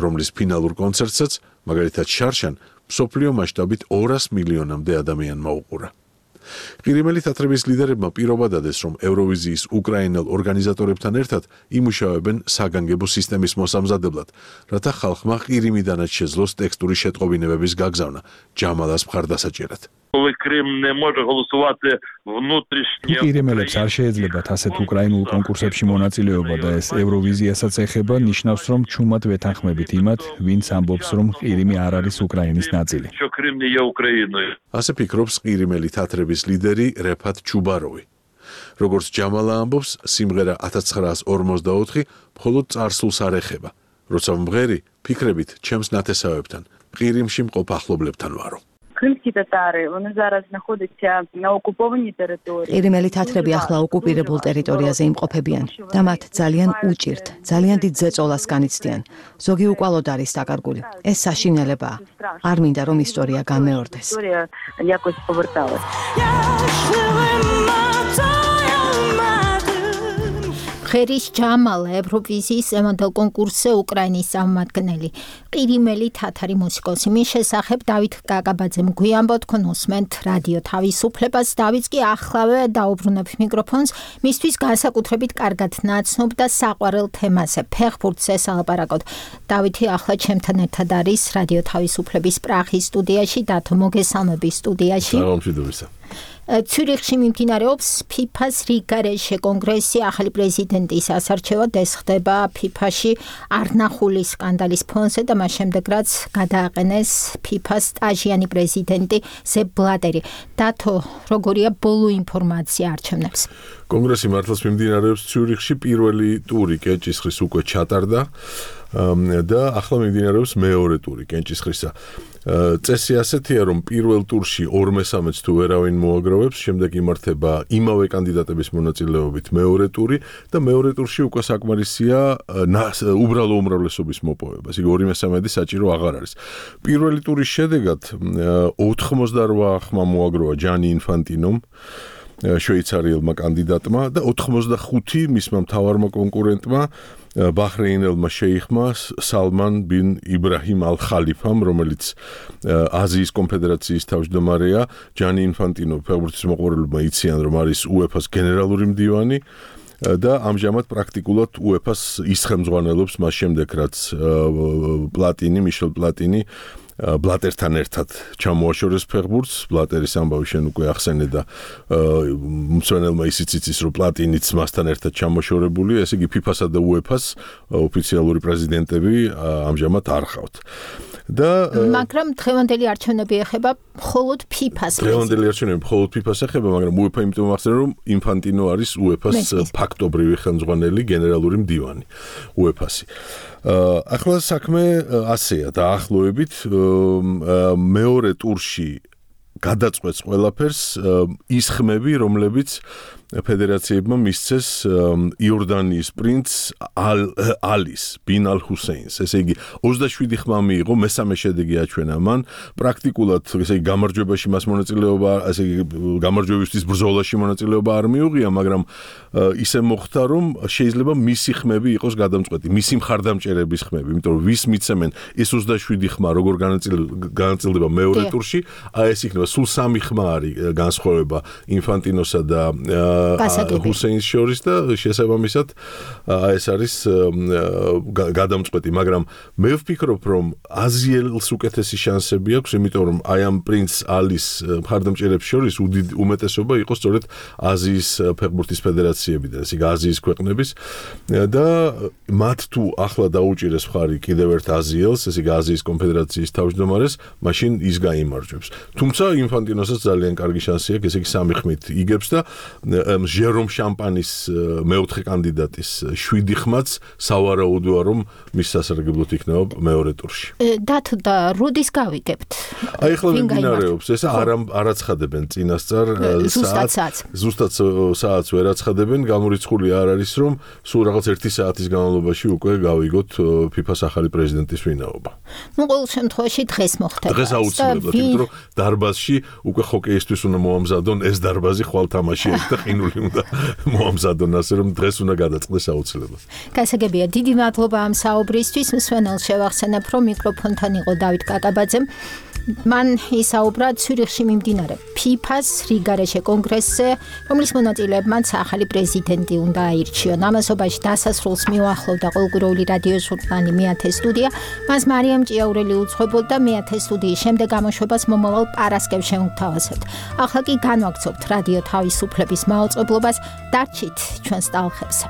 რომლის ფინალურ კონცერტსაც, მაგალითად შარშან, მსოფლიო მასშტაბით 200 მილიონამდე ადამიანმა უყურა. ყირიმელი თათრების ლიდერებმა პირობა დადეს, რომ ევროვიზიის უკრაინელ ორგანიზატორებთან ერთად იმუშავებენ საგანგებო სისტემის მოსამზადებლად, რათა ხალხმა ყირიმიდანაც შეძლოს ტექსტური შეტყობინებების გაგზავნა ჯამალას მხარდასაჭერად. ყირიმელებს არ შეეძლებათ ასეთ უკრაინულ კონკურსებში მონაწილეობა და ეს ევროვიზიასაც ეხება, ნიშნავს, რომ ჩუმად ვეთანხმებით იმათ, ვინც ამბობს, რომ ყირიმი არ არის უკრაინის ნაწილი. ასე ფიქრობს ყირიმელი თათრების ლიდერი რეფათ ჩუბაროვი. როგორც ჯამალა ამბობს, სიმღერა 1944 მხოლოდ წარსულს არ ეხება. როცა მღერი, ფიქრებით ჩემს ნათესავებთან, ყირიმში მყოფ ახლობლებთან ვარო. Кримські татари, вони зараз знаходяться на окупованій території. ყირიმელი თათრები ახლა ოკუპირებულ ტერიტორიაზე იმყოფებიან და მათ ძალიან უჭირთ, ძალიან დიდ ზეწოლას განიცდიან. ზოგი უკვალოდ არის დაკარგული. ეს საშინელებაა. არ მინდა რომ ისტორია გამეორდეს. Історія якось поверталась. ღერის ჯამალა ევროვიზიის ემონდელ კონკურსზე უკრაინის წარმომადგენელი ყირიმელი თათარი მუსიკოსი. მის შესახებ დავით კაკაბაძემ გვიამბო, თქვენ უსმენთ რადიო თავისუფლებას. დავით კი ახლავე დაუბრუნებს მიკროფონს, მისთვის განსაკუთრებით კარგად ნაცნობ და საყვარელ თემაზე, ფეხბურთზე სალაპარაკოთ. დავითი ახლა ჩემთან ერთად არის რადიო თავისუფლების პრაღის სტუდიაში, დათო მოგესალმები სტუდიაში. მოგესალმებით. ცյურიხში მიმდინარეობს FIFA-ს რიგარეშე კონგრესი, ახალი პრეზიდენტის ასარჩევად ეს ხდება FIFA-ში არნახული სკანდალის ფონზე და მას შემდეგ რაც გადააყენეს FIFA-ს სტაჟიანი პრეზიდენტი სეპ ბლატერი. დათო, როგორია ბოლო ინფორმაცია არჩევნებს? კონგრესი მართლაც მიმდინარეობს ცյურიხში, პირველი ტური კენჭისყრის უკვე ჩატარდა და ახლა მიმდინარეობს მეორე ტური კენჭისყრისა. წესი ასეთია, რომ პირველ ტურში 2/3-ს თუ ვერავინ მოაგროვებს, შემდეგ იმართება იმავე კანდიდატების მონაწილეობით მეორე ტური და მეორე ტურში უკვე საკმარისია უბრალო უმრავლესობის მოპოვება. იგი 2/3 საჭირო აღარ არის. პირველი ტურის შედეგად 88 ხმა მოაგროვა ჯანი ინფანტინომ, შვეიცარიელმა კანდიდატმა და 85 მისმა მთავარმა კონკურენტმა ბაჰრეინელმა შეიხმა სალმან ბინ იბრაჰიმ ალ-ხალიფამ, რომელიც აზიის კონფედერაციის თავმჯდომარეა. ჯანი ინფანტინო ფეხბურთის მოყვარულებმა იციან, რომ არის UEFA-ს გენერალური მდივანი და ამჟამად პრაქტიკულად UEFA-ს ისხემძღვანელობს მას შემდეგ, რაც მიშელ პლატინი ბლატერთან ერთად ჩამოაშორეს ფეხბურთს. ბლატერის ამბავი შენ უკვე ახსენე და მწვენელმა ისიც იცის, რომ პლატინიც მასთან ერთად ჩამოშორებულია, ესე იგი FIFA-სა და UEFA-ს ოფიციალური პრეზიდენტები ამჟამად არ ხავთ. მაგრამ დღევანდელი არჩევნები ეხება მხოლოდ FIFA-ს. დღევანდელი არჩევნები მხოლოდ FIFA-ს ეხება, მაგრამ UEFA იმიტომ ახსენე, რომ ინფანტინო არის UEFA-ს ფაქტობრივი ხელმძღვანელი, გენერალური მდივანი UEFA-სი. ახლა საქმე ასეა დაახლოებით მეორე ტურში გადაწყვეტს ყველაფერს ის ხმები, რომლებიც ფედერაციებმა მისცეს იორდანიის პრინც ალის ბინ ალ-ჰუსეინს. ესე იგი 27 ხმა მიიღო, მესამე შედეგი აჩვენა მან. პრაქტიკულად ესე იგი გამარჯვებაში მას მონაწილეობა, ესე იგი გამარჯვებისთვის ბრძოლაში მონაწილეობა არ მიუღია, მაგრამ ისე მოხდა, რომ შეიძლება მისი ხმები იყოს გადამწყვეტი, მისი მხარდამჭერების ხმები, იმიტომ რომ ვის მიცემენ ეს 27 ხმა როგორ განაწილდება მეორე ტურში, ეს იქნება სულ 3 ხმა არის განსხვავება ინფანტინოსა და ჰუსეინს შორის და შესაბამისად ეს არის გადამწყვეტი, მაგრამ მე ვფიქრობ, რომ აზიელს უკეთესი შანსები აქვს, იმიტომ რომ აი ამ პრინც ალის მხარდამჭერებს შორის უმეტესობა იყო სწორედ აზიის ფეხბურთის ფედერაციებიდან, ესე იგი აზიის ქვეყნების და მათ თუ ახლა დაუჭირეს მხარი კიდევ ერთ აზიელს, ესე იგი აზიის კონფედერაციის თავმჯდომარეს, მაშინ ის გაიმარჯვებს. თუმცა ინფანტინოსაც ძალიან კარგი შანსი აქვს, ესე იგი 3 ხმით იგებს და ჟერომ შამპანის მეოთხე კანდიდატის 7 ხმაც სავარაუდოა რომ მის სასარგებლოდ იქნება მეორე ტურში. დათო და როდის გავიგებთ? აი ახლა მიმდინარეობს ეს არაცხადებენ წინასწარ ზუსტად საათს ვერ აცხადებენ, გამორიცხული არ არის რომ სულ რაღაც 1 საათის განმავლობაში უკვე გავიგოთ FIFA-ს ახალი პრეზიდენტის ვინაობა. ნუ ყოველ შემთხვევაში დღეს მოხდება. დღეს აუცილებლად, იმიტომ რომ დარბაზში უკვე ჰოკეისტვის უნდა მოამზადონ ეს დარბაზი ხვალ თამაში აქვს და ყინული უნდა მოამზადონ, ასე რომ დღეს უნდა გადაწყდეს აუცილებლად. გასაგებია, დიდი მადლობა ამ საუბრისთვის. მსვენელს შევახსენებ, რომ მიკროფონთან იყო დავით კაკაბაძე. მან ისაუბრა ცვირიხში მიმდინარე FIFA-ს რიგარეშე კონგრესზე, რომლის მონაწილეებმაც ახალი პრეზიდენტი უნდა აირჩიონ. ამასობაში დასასრულს მიუახლოვდა ყოველკვირეული რადიო ჟურნალი მეათე სტუდია. მას მარიამ ჭიაურელი უძღვებოდა მეათე სტუდიის შემდეგ გამოშვებას მომავალ პარასკევს შევთავაზებთ. ახლა კი განვაგრძობთ რადიო თავისუფლების მაუწყებლობას. დარჩით ჩვენს ტალღებზე.